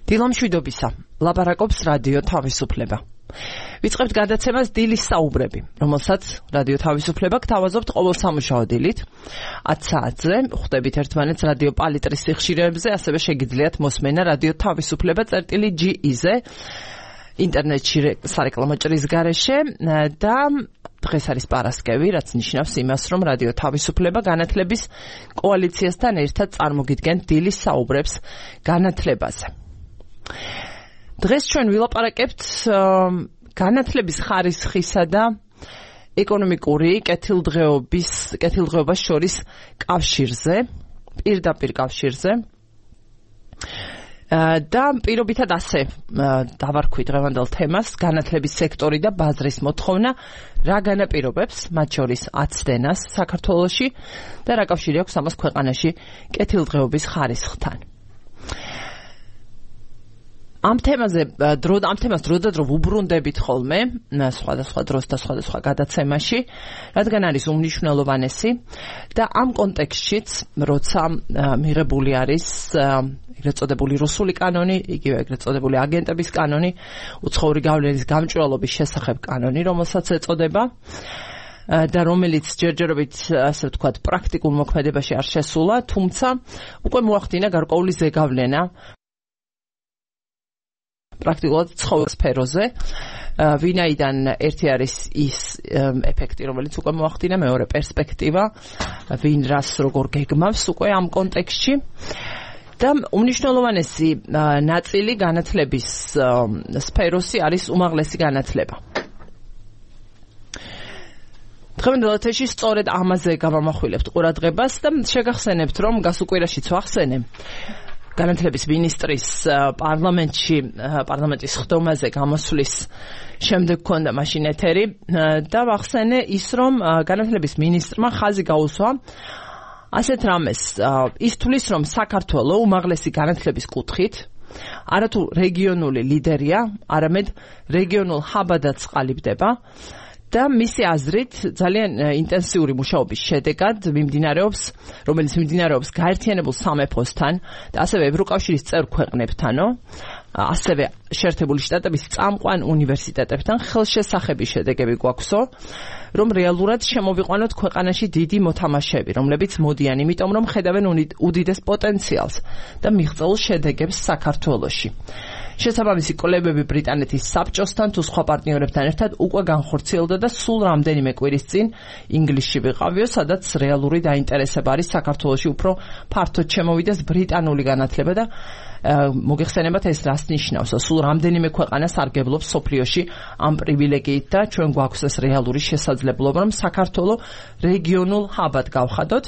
დილამშვიდობისა, ლაპარაკობს რადიო თავისუფლება. ვიწყებთ გადაცემას დილის საუბრები, რომელსაც რადიო თავისუფლება გთავაზობთ ყოველ სამუშაო დილით 10 საათზე, ხვდებით ერთმანეთს რადიო პალიტრის სიხშირეებზე, ასევე შეგიძლიათ მოსმენა რადიო თავისუფლება.ge-ზე ინტერნეტში სარეკლამო ჭრის გარეშე და დღეს არის პარასკევი, რაც ნიშნავს იმას, რომ რადიო თავისუფლება განათლების კოალიციასთან ერთად წარმოგიდგენთ დილის საუბრებს განათლებაზე. დღეს ჩვენ ვილაპარაკებთ განათლების ხარისხისა და ეკონომიკური კეთილდღეობას შორის კავშირზე, პირდაპირ კავშირზე. და პირობითად ასე დავარქვი დღევანდელ თემას განათლების სექტორი და ბაზრის მოთხოვნა რა განაპირობებს, მათ შორის აცდენას საქართველოში და რა კავშირი აქვს ამას ქვეყანაში კეთილდღეობის ხარისხთან. ამ თემას დრო და დრო ვუბრუნდებით ხოლმე სხვადასხვა დროს და სხვადასხვა გადაცემაში, რადგან არის უმნიშვნელოვანესი და ამ კონტექსტშიც, როცა მიღებული არის ეგრეთ წოდებული რუსული კანონი, იგივე ეგრეთ წოდებული აგენტების კანონი, უცხოური გავლენის გამჭვირვალობის შესახებ კანონი, რომელსაც ეწოდება და რომელიც ჯერჯერობით, ასე ვთქვათ, პრაქტიკულ მოქმედებაში არ შესულა, თუმცა უკვე მოახდინა გარკვეული ზეგავლენა პრაქტიკულად ცხოველის სფეროზე, ვინაიდან ერთი არის ის ეფექტი, რომელიც უკვე მოახდინა, მეორე პერსპექტივა, ვინ რას როგორ გეგმავს უკვე ამ კონტექსტში. და უმნიშვნელოვანესი ნაწილი განათლების სფეროსი არის უმაღლესი განათლება. დღევანდელ ეთერში სწორედ ამაზე გავამახვილებთ ყურადღებას და შეგახსენებთ, რომ გასულ კვირაშიც ვახსენე განათლების მინისტრის პარლამენტის ხდომაზე გამოსვლის შემდეგ ქონდა მაშინ ეთერი და ვახსენე ის, რომ განათლების მინისტრმა ხაზი გაუსვა ასეთ რამეს, ის თვლის, რომ საქართველო უმაღლესი განათლების კუთხით არათუ რეგიონული ლიდერია, არამედ რეგიონულ ჰაბადაც ყალიბდება და მისი აზრით ძალიან ინტენსიური მუშაობის შედეგად რომელიც მიმდინარეობს გაერთიანებულ სამეფოსთან და ასევე ევროკავშირის წევრ ქვეყნებთანო, ასევე შეერთებული შტატების წამყვან უნივერსიტეტებთან ხელშესახები შედეგები გვაქვსო, რომ რეალურად შემოვიყვანოთ ქვეყანაში დიდი მოთამაშეები, რომლებიც მოდიან იმიტომ, რომ ხედავენ უდიდეს პოტენციალს და მიღწეულ შედეგებს საქართველოში. შესაბამისი კვლევები ბრიტანეთის საბჭოსთან თუ სხვა პარტნიორებთან ერთად უკვე განხორციელდა და სულ რამდენიმე კვირის წინ ინგლისში ვიყავიო, სადაც რეალური დაინტერესება არის საქართველოში უფრო ფართოდ შემოვიდეს ბრიტანული განათლება და მოგეხსენებათ ეს რას ნიშნავს. სულ რამდენიმე ქვეყანა სარგებლობს სოფლიოში ამ პრივილეგიით და ჩვენ გვაქვს ეს რეალური შესაძლებლობა, რომ საქართველო რეგიონულ ჰაბად გავხადოთ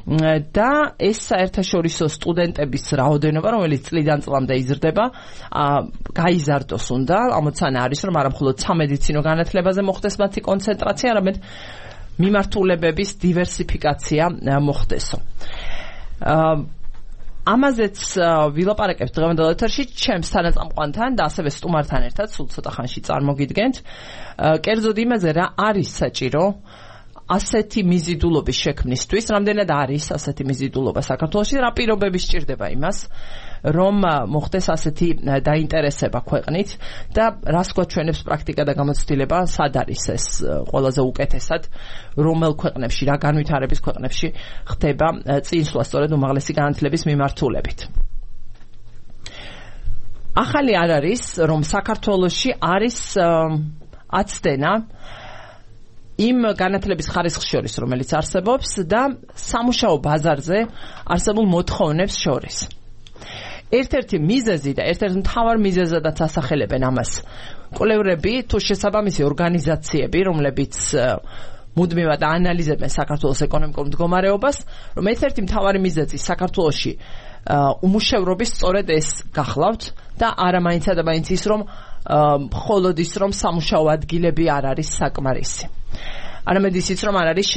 და ეს საერთაშორისო სტუდენტების რაოდენობა, რომელიც წლიდან წლამდე იზრდება, გაიზარდოს უნდა. ამოცანა არის, რომ არა მხოლოდ სამედიცინო განათლებაზე მოხდეს მათი კონცენტრაცია, არამედ მიმართულებების დივერსიფიკაცია მოხდესო. ამაზეც ვილაპარაკებთ დღევანდელ ეთერში ჩემს თანაწამყვანთან და ასევე სტუმართან ერთად, სულ ცოტა ხანში წარმოგიდგენთ. კერძოდ იმაზე, რა არის საჭირო ასეთი მიზიდულობის შექმნისთვის, რამდენად არის ასეთი მიზიდულობა საქართველოში, რა პირობები სჭირდება იმას, რომ მოხდეს ასეთი დაინტერესება ქვეყნით და რას გვაჩვენებს პრაქტიკა და გამოცდილება, სად არის ეს ყველაზე უკეთესად, რომელ ქვეყნებში, რა განვითარების ქვეყნებში ხდება წინსვლა სწორედ უმაღლესი განათლების მიმართულებით. ახალი არ არის, რომ საქართველოში არის აცდენა იმ განათლების ხარისხს შორის, რომელიც არსებობს და სამუშაო ბაზარზე არსებულ მოთხოვნებს შორის. ერთ-ერთი მიზეზი და ერთ-ერთი მთავარ მიზეზადაც ასახელებენ ამას კვლევრები თუ შესაბამისი ორგანიზაციები, რომლებიც მუდმივად აანალიზებენ საქართველოს ეკონომიკურ მდგომარეობას, რომ ერთ-ერთი მთავარი მიზეზი საქართველოში უმუშევრობის სწორედ ეს გახლავთ და არა მაინც და მაინც ის, რომ მხოლოდ ის, რომ სამუშაო ადგილები არ არის საკმარისი. არამედ ისიც, რომ არ არის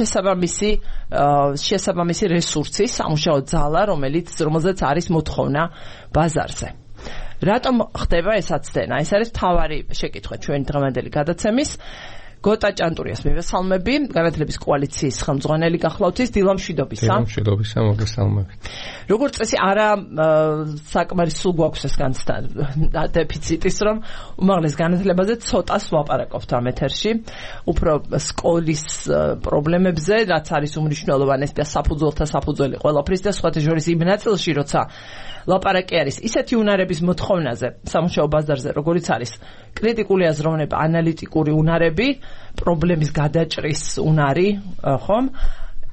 შესაბამისი რესურსი, სამუშაო ძალა, რომელზეც არის მოთხოვნა ბაზარზე. რატომ ხდება ეს აცდენა? ეს არის მთავარი შეკითხვა ჩვენი დღევანდელი გადაცემის. გოტა ჭანტურიას მივესალმები, განათლების კოალიციის ხელმძღვანელი გახლავთ ის დილა მშვიდობისა. დილა მშვიდობისა, მოგესალმებით. როგორც წესი, არა საკმარის სულ გვაქვს ეს განცდა დეფიციტის, რომ უმაღლეს განათლებაზე ცოტას ვაპარაკობთ ამ ეთერში, უფრო სკოლის პრობლემებზე, რაც არის უმნიშვნელოვანესი და საფუძველთა საფუძველი ყველაფრის და სხვათა შორის იმ ნაწილში, როცა ლაპარაკი არის ისეთი უნარების მოთხოვნაზე, სამუშაო ბაზარზე, როგორიც არის კრიტიკული აზროვნება, ანალიტიკური უნარები, პრობლემის გადაჭრის უნარი, ხომ?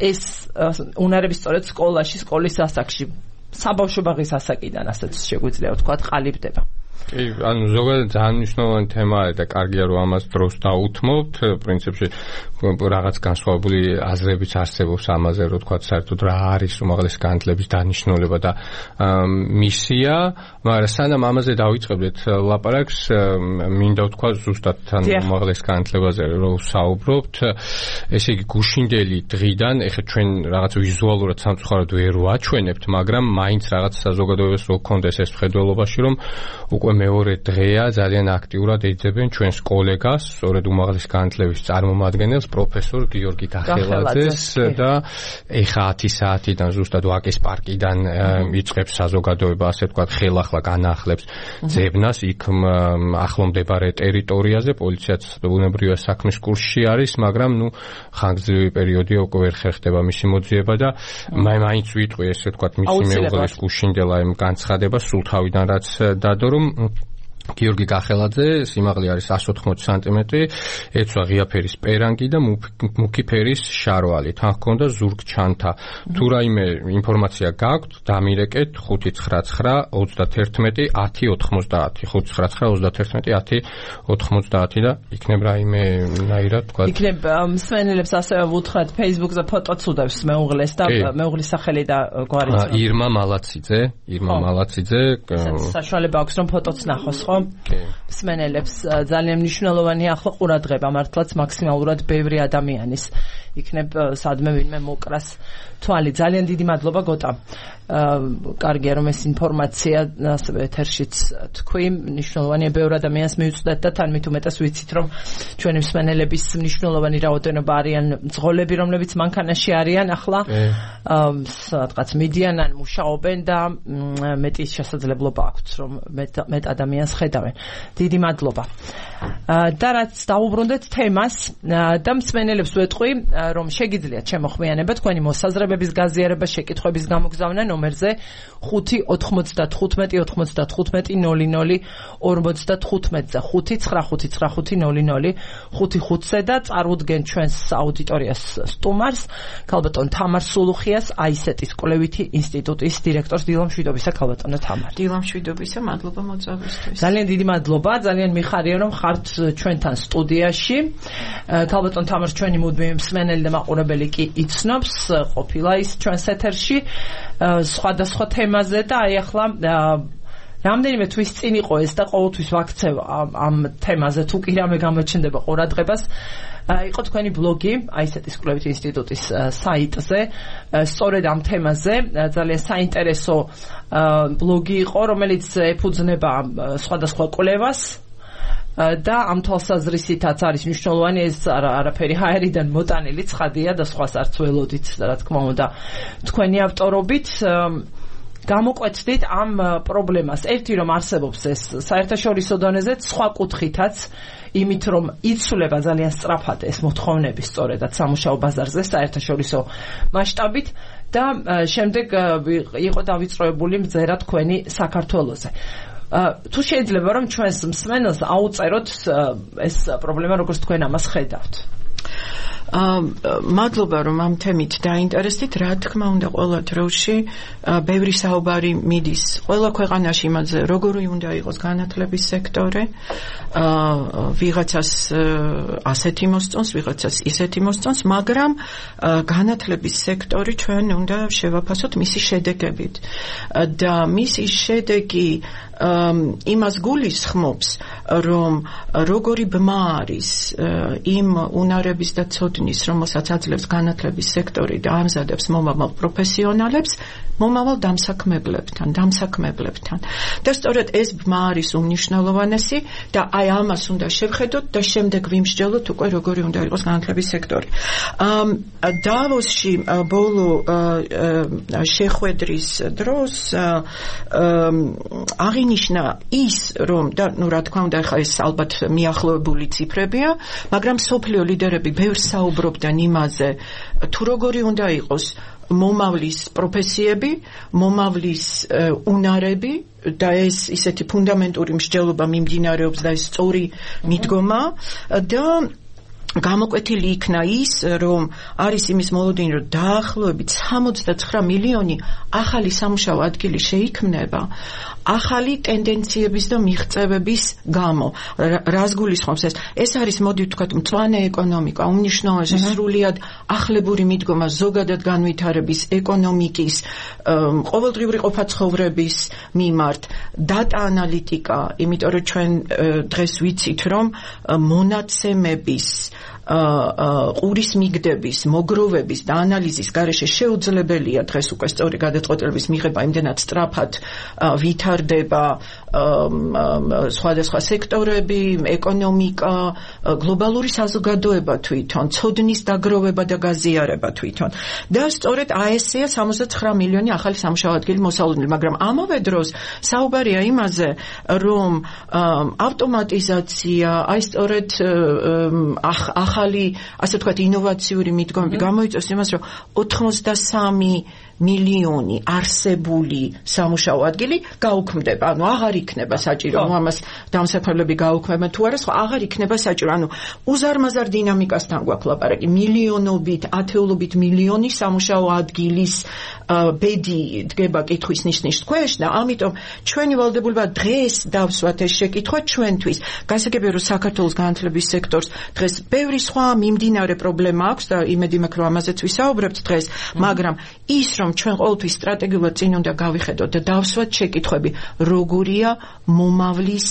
ეს უნარები სწორედ სკოლაში, სკოლის ასაკში, საბავშვო ბაღის ასაკიდან, ასეც შეგვიძლია ვთქვათ, ყალიბდება. კი, ანუ ზოგადად ძალიან მნიშვნელოვანი თემაა და კარგია რომ ამას დროს დაუთმობთ. პრინციპში რაღაც განსხვავებული აზრებიც არსებობს ამაზე, რომ თქვა საერთოდ რა არის უმაღლესი განათლების დანიშნულება და მისია, მაგრამ სანამ ამაზე დავიწყებდეთ ლაპარაკს, მინდა ვთქვა ზუსტად თან უმაღლეს განათლებაზე რომ ვსაუბრობთ. ესე იგი გუშინდელი დღიდან, ეხლა ჩვენ რაღაც ვიზუალურად სამწუხაროდ ვერ ვაჩვენებთ, მაგრამ მაინც რაღაც საზოგადოებას რო გქონდეს ეს მხედველობაში, რომ უკვე მეორე დღეა ძალიან აქტიურად ეძებენ ჩვენს კოლეგას, სწორედ უმაღლეს განათლების წარმომადგენელს, პროფესორ გიორგი დახელაძეს და ეხა 10 საათიდან ზუსტად ვაკის პარკიდან იწყებს საზოგადოება, ასე ვთქვათ, ხელახლა განაახლებს ძებნას იქ ახლო მდებარე ტერიტორიაზე, პოლიციაც ბუნებრივი საქმის კურსში არის, მაგრამ ხანგრძლივი პერიოდია უკვე ვერ ხერხდება მისი მოძიება და მაინც ვიტყვი, ესე ვთქვათ, მისი მეუღლის გუშინდელა იმ განცხადება სულ თავიდან რაც დადო, რომ გიორგი გახელაძე სიმაღლე არის 180 სანტიმეტრი, ეცვა ღია ფერის პერანგი და მუქი ფერის შარვალი. თან ჰქონდა ზურგჩანთა. თუ რაიმე ინფორმაცია გაქვთ, დამირეკეთ 599 31 10 90 599 31 10 90 და იქნებ რაიმე ნაირად თქვა. იქნებ მსმენელებს ასევე ვუთხრათ Facebook-ზე ფოტოც უდევს მეუღლეს და მეუღლის სახელი და გვარი. ირმა მალაციძე. საშუალება აქვს რომ ფოტოც ნახოს, ხო? მსმენელებს ძალიან მნიშვნელოვანია ახლა ყურადღება, მართლაც მაქსიმალურად ბევრი ადამიანის იქნებ სადმე ვინმე მოკრას თვალი. ძალიან დიდი მადლობა გოტა. კარგია რომ ეს ინფორმაცია ასევე ეთერშიც თქვი, მნიშვნელოვანია ბევრ ადამიანს მივუწვდეთ და თან მით უმეტეს ვიცით რომ ჩვენი მსმენელების მნიშვნელოვანი რაოდენობა არიან მძღოლები, რომლებიც მანქანაში არიან ახლა, სადღაც მიდიან ან მუშაობენ და მეტი შესაძლებლობა აქვთ რომ მეტ ადამიანს ხედავენ. დიდი მადლობა. და რაც დაუბრუნდეთ თემას და მსმენელებს ვეტყვი, რომ შეგიძლიათ შემოხვიანება თქვენი მოსაზრებების გაზიარება, შეკითხვების გამოგზავნა ნომერზე 595 95 00 55-ზე 595-95-00 55-ზე და წარუდგენ ჩვენს აუდიტორიას სტუმარს, ქალბატონ თამარ სულუხიას, აისეტის კვლევითი ინსტიტუტის დირექტორს. დილა მშვიდობისა, ქალბატონო თამარ. დილა მშვიდობისა, მადლობა მოწვევისთვის. ძალიან დიდი მადლობა, ძალიან მიხარია რომ ხართ ჩვენთან სტუდიაში. ქალბატონ თამარს ჩვენი მუდმივი მსმენელი და მაყურებელი კი იცნობს, ყოფილა ის ჩვენს ეთერში სხვადასხვა თემაზე და აი ახლა რამდენიმე თვის წინ იყო ეს და ყოველთვის ვაქცევ ამ თემაზე, თუ კი რამე გამოჩნდება ყურადღებას. იყო თქვენი ბლოგი აისეტის კვლევითი ინსტიტუტის საიტზე, სწორედ ამ თემაზე ძალიან საინტერესო ბლოგი იყო, რომელიც ეფუძნება სხვადასხვა კვლევას და ამ თვალსაზრისითაც არის მნიშვნელოვანი, ეს არაფერი ჰაერიდან მოტანილი ცხადია და სხვას არც ველოდით, რა თქმა უნდა, თქვენი ავტორობით. გამოკვეთდით ამ პრობლემას. ერთი რომ არსებობს ეს საერთაშორისო დონეზე, სხვა კუთხითაც, იმით რომ იცვლება ძალიან სწრაფად ეს მოთხოვნები სწორედაც სამუშაო ბაზარზე საერთაშორისო მასშტაბით და შემდეგ იყო დავიწყებული მზერა თქვენი საქართველოზე. თუ შეიძლება რომ ჩვენს მსმენელს აუწეროთ ეს პრობლემა, როგორც თქვენ ამას ხედავთ. მადლობა რომ ამ თემით დაინტერესდით. რა თქმა უნდა, ყველა დროში ბევრი საუბარი მიდის ყველა ქვეყანაში იმაზე, როგორი უნდა იყოს განათლების სექტორი. ვიღაცას ასეთი მოსწონს, ვიღაცას ისეთი მოსწონს, მაგრამ განათლების სექტორი ჩვენ უნდა შევაფასოთ მისი შედეგებით. და მისი შედეგი იმას გულისხმობს, რომ როგორი ბმა არის იმ უნარების და ცოდნის, რომელსაც აძლევს განათლების სექტორი და ამზადებს მომავალ პროფესიონალებს, მომავალ დამსაქმებლებთან. და სწორედ ეს ბმა არის უმნიშვნელოვანესი და აი ამას უნდა შევხედოთ და შემდეგ ვიმსჯელოთ უკვე როგორი უნდა იყოს განათლების სექტორი. დავოსში ბოლო შეხვედრის დროს აღინიშნა ის, რომ და რა თქმა უნდა ხა ეს ალბათ მიახლოებული ციფრებია, მაგრამ სოფლიო ლიდერები ბევრ საუბრობდნენ იმაზე, თუ როგორი უნდა იყოს მომავლის პროფესიები, მომავლის უნარები და ეს ისეთი ფუნდამენტური მსჯელობა მიმდინარეობს და ეს სწორი მიდგომა და გამოკვეთილი იქნა ის, რომ არის იმის მოლოდინი, რომ დაახლოებით 69 მილიონი ახალი სამუშაო ადგილი შეიქმნება ახალი ტენდენციების და მიღწევების გამო. რას გულისხმობს ეს? ეს არის, მოდი ვთქვათ, მწვანე ეკონომიკა, უმნიშვნელოვანესი სრულიად ახლებური მიდგომა ზოგადად განვითარების ეკონომიკის, ყოველდღიური ყოფაცხოვრების მიმართ, დატა ანალიტიკა, იმიტომ რომ ჩვენ დღეს ვიცით, რომ მონაცემების ყურის მიგდების, მოგროვების და ანალიზის გარეშე შეუძლებელია დღეს უკვე სწორი გადაწყვეტილების მიღება იმდენად სწრაფად ვითარდება სხვადასხვა სექტორები, ეკონომიკა, გლობალური საზოგადოება თვითონ, ცოდნის დაგროვება და გაზიარება თვითონ. და სწორედ ASE-ია 69 მილიონი ახალი სამუშაო ადგილი მოსალოდნელი, მაგრამ ამავე დროს საუბარია იმაზე, რომ ავტომატიზაცია, აი სწორედ ახალი, ასე ვთქვათ, ინოვაციური მიდგომები გამოიწვევს იმას, რომ 83 მილიონი არსებული სამუშაო ადგილი გაუქმდება, ანუ აღარ იქნება საჭირო, ამას დამსაქმებლები გაუქმებენ თუ არა, აღარ იქნება საჭირო, ანუ უზარმაზარ დინამიკასთან გვაქვს ლაპარაკი, მილიონობით, ათეულობით მილიონი სამუშაო ადგილის ბედი დგება კითხვის ნიშნის ქვეშ და ამიტომ ჩვენი ვალდებულება დღეს დავსვათ ეს შეკითხვა ჩვენთვის. გასაგებია, რომ საქართველოს განათლების სექტორს დღეს ბევრი სხვა მიმდინარე პრობლემა აქვს და იმედი მაქვს, რომ ამაზეც ვისაუბრებთ დღეს, მაგრამ ის რომ ჩვენ ყოველთვის სტრატეგიულად წინ უნდა გავიხედოთ და დავსვათ შეკითხვები, როგორია მომავლის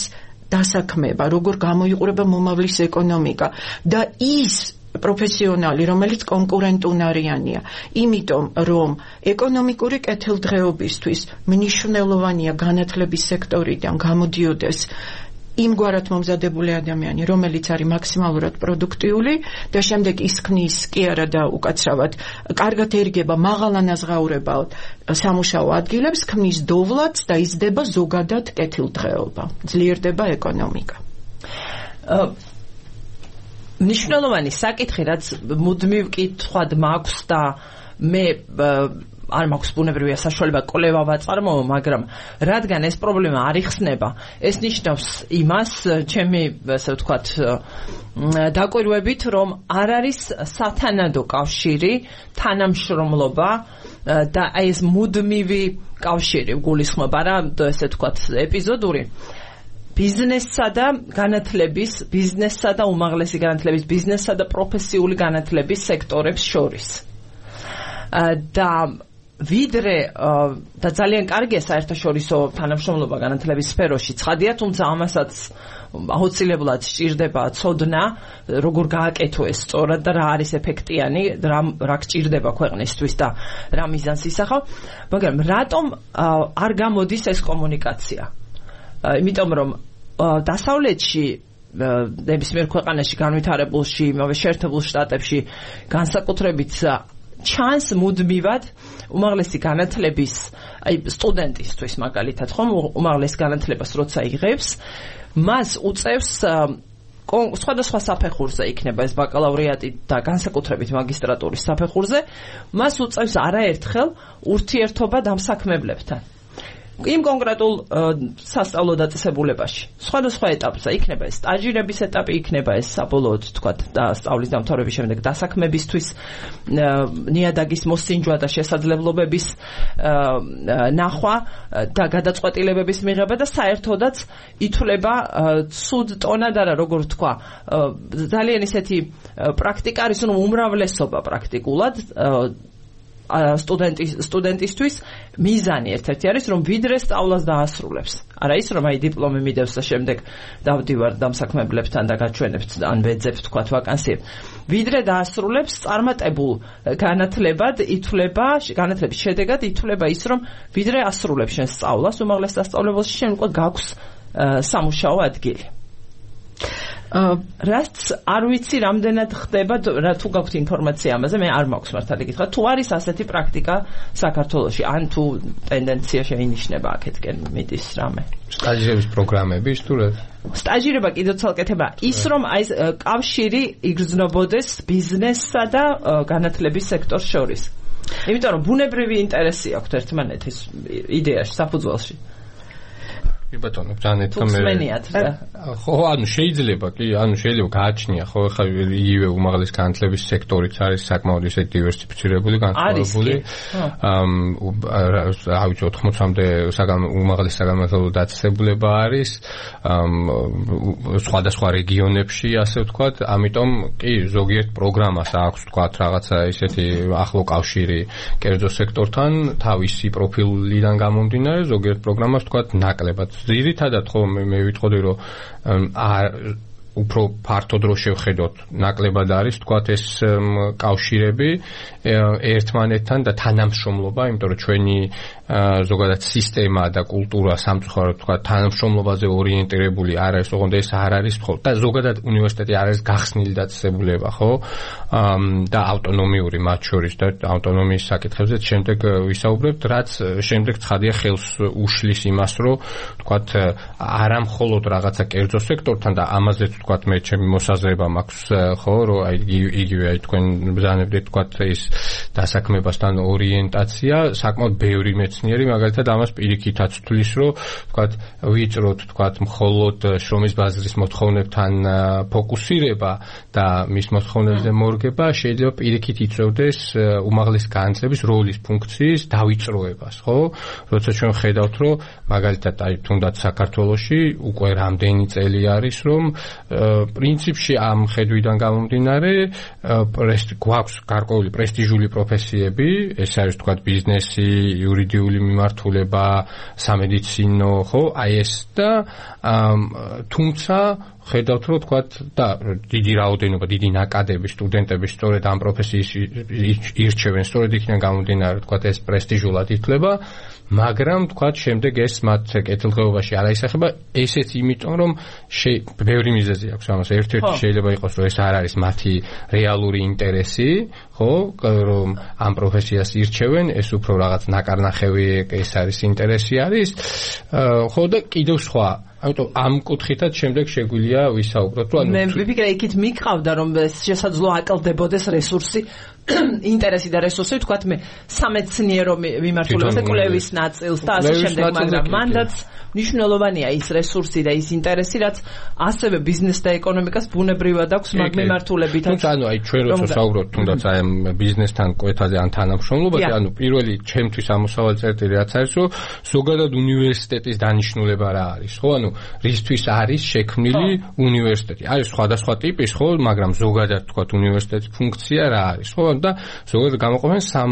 დასაქმება, როგორ გამოიყურება მომავლის ეკონომიკა და ის პროფესიონალი, რომელიც კონკურენტუნარიანია, იმიტომ რომ ეკონომიკური კეთილდღეობისთვის მნიშვნელოვანია განათლების სექტორიდან გამოდიოდეს იმგვარად მომზადებული ადამიანი, რომელიც არის მაქსიმალურად პროდუქტიული და შემდეგ ის ქმნის კი არა და უკაცრავად კარგად ერგება მაღალანაზღაურებად სამუშაო ადგილებს, ქმნის დოვლადს და იზრდება ზოგადად კეთილდღეობა, ძლიერდება ეკონომიკა. მნიშვნელოვანი საკითხი, რაც მუდმივ კითხვად მაქვს და მე არ მაქვს ბუნებრივია საშუალება კვლევა ვაწარმოო, მაგრამ რადგან ეს პრობლემა არ იხსნება, ეს ნიშნავს იმას, ჩემი ასე ვთქვათ, დაკვირვებით, რომ არ არის სათანადო კავშირი, თანამშრომლობა და ეს მუდმივი კავშირი გულისხმობა რა, ესე ვთქვათ, ეპიზოდური ბიზნესსა და განათლების, ბიზნესსა და უმაღლესი განათლების, ბიზნესსა და პროფესიული განათლების სექტორებს შორის. და ვიდრე და ძალიან კარგია საერთაშორისო თანამშრომლობა განათლების სფეროში, ცხადია, თუმცა ამასაც აუცილებლად სჭირდება ცოდნა, როგორ გააკეთო ეს სწორად და რა არის ეფექტიანი, რა გჭირდება ქვეყნისთვის და რა მიზანს ისახავ, მაგრამ რატომ არ გამოდის ეს კომუნიკაცია? იმიტომ რომ დასავლეთში ნებისმიერ ქვეყანაში განვითარებულში, იმავე შეერთებულ შტატებში განსაკუთრებით ჩანს მუდმივად უმაღლესი განათლების, აი სტუდენტისთვის მაგალითად, ხომ, უმაღლეს განათლებას როცა იღებს, მას უწევს სხვადასხვა საფეხურზე იქნება ეს ბაკალავრიატი და განსაკუთრებით მაგისტრატურის საფეხურზე, მას უწევს არაერთხელ ურთიერთობა დამსაქმებლებთან. იმ კონკრეტულ სასწავლო დაწესებულებაში. სხვადასხვა ეტაპზე იქნება ეს სტაჟირების ეტაპი, იქნება ეს საბოლოოდ თქვათ და სწავლის დამთავრების შემდეგ დასაქმებისთვის ნიადაგის მოსინჯვა და შესაძლებლობების ნახვა და გადაწყვეტილებების მიღება და საერთოდაც ითვლება ცუდ ტონად არა, როგორ თქვა, ძალიან ისეთი პრაქტიკა არის, რომ უმრავლესობა პრაქტიკულად სტუდენტისთვის მიზანი ერთ-ერთი არის, რომ ვიდრე სწავლას დაასრულებს. არა ის, რომ აი დიპლომი მიდევს და შემდეგ დავდივარ დამსაქმებლებთან და გაჩვენებთ ან ვეძებთ თქვათ ვაკანსიებს. ვიდრე დაასრულებს, წარმატებულ განათლების შედეგად ითვლება ის, რომ ვიდრე ასრულებს შენ სწავლას უმაღლეს სასწავლებელში, შენ უკვე გაქვს სამუშაო ადგილი. რაც არ ვიცი რამდენად ხდება, თუ გაქვთ ინფორმაცია ამაზე, მე არ მაქვს მართალი გითხრათ, თუ არის ასეთი პრაქტიკა საქართველოში, ან თუ ტენდენცია შეინიშნება აქეთკენ მიდის რამე. სტაჟირების პროგრამები სტუდენტ. სტაჟირება კიდევ ცალკეთება ის, რომ აი კავშირი იგრძნობოდეს ბიზნესსა და განათლების სექტორს შორის. იმიტომ რომ ბუნებრივი ინტერესი აქვს ერთმანეთის იდეაში, საფუძველში. ბატონო, ჯანეთო მე ხო, ანუ შეიძლება გააჩნია, ხო, ხა იგივე უმაღლეს განათლების სექტორიც არის საკმაოდ ისე დივერსიფიცირებული, განსხვავებული. ავიცი 80-მდე უმაღლეს საგანმანათლებლო დაწესებულება არის სხვადასხვა რეგიონებში, ასე ვთქვათ, ამიტომ კი ზოგიერთ პროგრამას აქვს ვთქვათ რაღაცა ისეთი ახლო კავშირი კერძო სექტორთან, თავისი პროფილიდან გამომდინარე, ზოგიერთ პროგრამას ვთქვათ ნაკლებად ძირითადად ხო მე ვიტყოდი რომ უფრო ფართო დრო შევხედოთ ნაკლებად არის თქვათ ეს კავშირები ერთმანეთთან და თანამშრომლობა, იმიტომ რომ ჩვენი ზოგადად სისტემა და კულტურა სამწუხაროდ თქვათ თანამშრომლობაზე ორიენტირებული არ არის, ოღონდ ეს არ არის ხო და ზოგადად უნივერსიტეტი არ არის გახსნილი დაწესებულება, ხო? და ავტონომიური მათ შორის და ავტონომიის საკითხებზე შემდეგ ვისაუბრებთ, რაც შემდეგ ცხადია ხელს უშლის იმას, რომ თქვათ არა მხოლოდ რაღაცა კერძო სექტორთან და ამაზეც თქვათ მე ჩემი მოსაზრება მაქვს, ხო, რომ აი იგივე აი თქვენ ბრძანებდით თქვათ ის დასაქმებასთან ორიენტაცია საკმაოდ ბევრი მეცნიერი მაგალითად ამას პირიქითაც თვლის, რომ თქვათ ვიწროთ თქვათ მხოლოდ შრომის ბაზრის მოთხოვნებთან ფოკუსირება და მის მოთხოვნებზე მორგება შეიძლება პირიქით იწევდეს უმაღლეს განათლების როლის ფუნქციის დავიწროებას, ხო? როცა ჩვენ ხედავთ, რომ მაგალითად აი თუნდაც საქართველოში უკვე რამდენი წელი არის, რომ პრინციპში ამ ხედვიდან გამომდინარე გვაქვს გარკვეული პრესტიჟული პროფესიები, ეს არის თქვათ ბიზნესი, იურიდიული მიმართულება, სამედიცინო, ხო, აი ეს და თუმცა ხედავთ, რომ თქვათ და დიდი რაოდენობა, დიდი ნაკადები სტუდენტები სწორედ ამ პროფესიის ირჩევენ, სწორედ იქიდან გამომდინარე, თქვათ ეს პრესტიჟულად ითვლება, მაგრამ თქვათ შემდეგ ეს მათ კეთილდღეობაში არ აისახება, ესეც იმიტომ, რომ ბევრი მიზეზი აქვს ამას. ერთ-ერთი შეიძლება იყოს, რომ ეს არ არის მათი რეალური ინტერესი, ხო, რომ ამ პროფესიას ირჩევენ, ეს უფრო რაღაც ნაკარნახევი ეს არის ინტერესი არის, ხო და კიდევ სხვა ამიტომ ამ კუთხითაც შემდეგ შეგვიძლია ვისაუბროთ, რომ მე ვიფიქრე იქით მიყავდა რომ შესაძლო აკლდებოდეს რესურსი, ინტერესი და რესურსი, თქვათ მე სამეცნიერო მიმართულებას და კვლევის ნაწილს და ასე შემდეგ, მაგრამ მანდაც მნიშვნელოვანია ის რესურსი და ის ინტერესი, რაც ასევე ბიზნეს და ეკონომიკას ბუნებრივად აქვს მაგ მიმართულებითაც. თუმცა ანუ აი ჩვენ როცა საუბრობთ თუნდაც აი ამ ბიზნესთან კვეთაზე ან თანამშრომლობაზე, ანუ პირველი ჩემთვის ამოსავალი წერტილი რაც არის, რომ ზოგადად უნივერსიტეტის დანიშნულება რა არის, ხო? ანუ რისთვის არის შექმნილი უნივერსიტეტი? არის სხვადასხვა ტიპის, ხო, მაგრამ ზოგადად თქვათ უნივერსიტეტის ფუნქცია რა არის, ხო? და ზოგადად გამოყოფენ სამ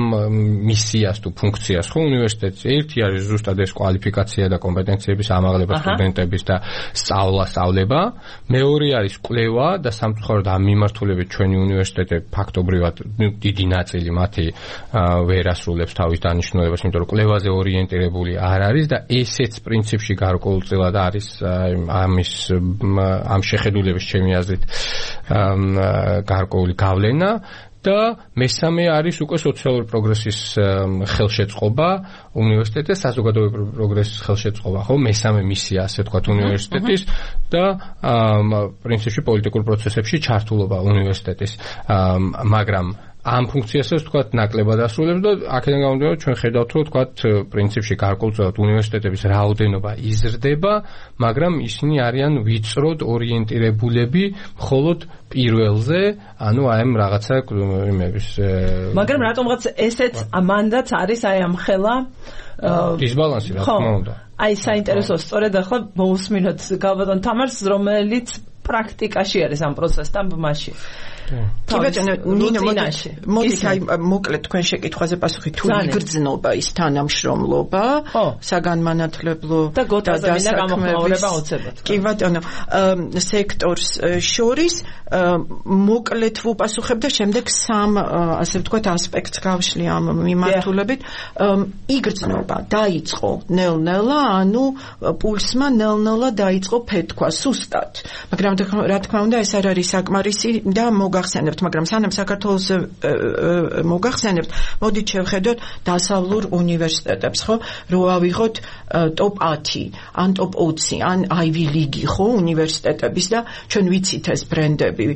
მისიას თუ ფუნქციას, ხო, უნივერსიტეტის. ერთი არის ზუსტად ეს კვალიფიკაცია და კომპეტენციების ამაღლება სტუდენტების და სწავლება. მეორე არის კვლევა და სამწუხაროდ ამ მიმართულებით ჩვენი უნივერსიტეტი ფაქტობრივად დიდი ნაწილი მათი ვერ ასრულებს თავის დანიშნულებას, იმიტომ რომ კვლევაზე ორიენტირებული არ არის და ესეც პრინციპში გარკვეულწილად არის ამ შეხედულების ჩემი აზრით გარკვეული გავლენა. და მესამე არის უკვე სოციალური პროგრესის ხელშეწყობა უნივერსიტეტის, საზოგადოებრივი პროგრესის ხელშეწყობა, ხო? მესამე მისია, ასე ვთქვათ, უნივერსიტეტის და პრინციპში პოლიტიკურ პროცესებში ჩართულობა უნივერსიტეტის, მაგრამ ამ ფუნქციასაც ვთქვათ ნაკლებად ასრულებს და აქედან გამომდინარე ჩვენ ხედავთ, რომ ვთქვათ პრინციპში გარკვეულწილად უნივერსიტეტების რაოდენობა იზრდება, მაგრამ ისინი არიან ვიწროდ ორიენტირებულები მხოლოდ პირველზე, ანუ აი ამ რაღაცა იმების მაგრამ რატომღაც ესეც მანდაც არის აი ამ ხელა დისბალანსი, რა თქმა უნდა. აი საინტერესო სწორედ ახლა მოусმინოთ გალბატონ თამარს, რომელიც პრაქტიკაში არის ამ პროცესთან ბმაში? კი ბატონო, ნინო, მოდით აი მოკლედ თქვენ შეკითხვაზე პასუხი თუ იგრძნობა ის თანამშრომლობა, საგანმანათლებლო და გოტაზებინა გამოხმაურება უცებად. კი ბატონო, სექტორს შორის მოკლედ ვუპასუხებ და შემდეგ სამ ასე ვთქვათ ასპექტს გავშლი ამ მიმართულებით. იგრძნობა დაიწყო ნელ-ნელა, ანუ პულსმა ნელ-ნელა დაიწყო ფეთქვა სუსტად. მაგრამ რა თქმა უნდა ეს არ არის საკმარისი და მოგახსენებთ, მაგრამ სანამ საქართველოს მოგახსენებთ, მოდით შევხედოთ დასავლურ უნივერსიტეტებს, ხო? რო ავიღოთ ტოპ 10, ან ტოპ 20, ან Ivy League, ხო, უნივერსიტეტების და ჩვენ ვიცით ეს ბრენდები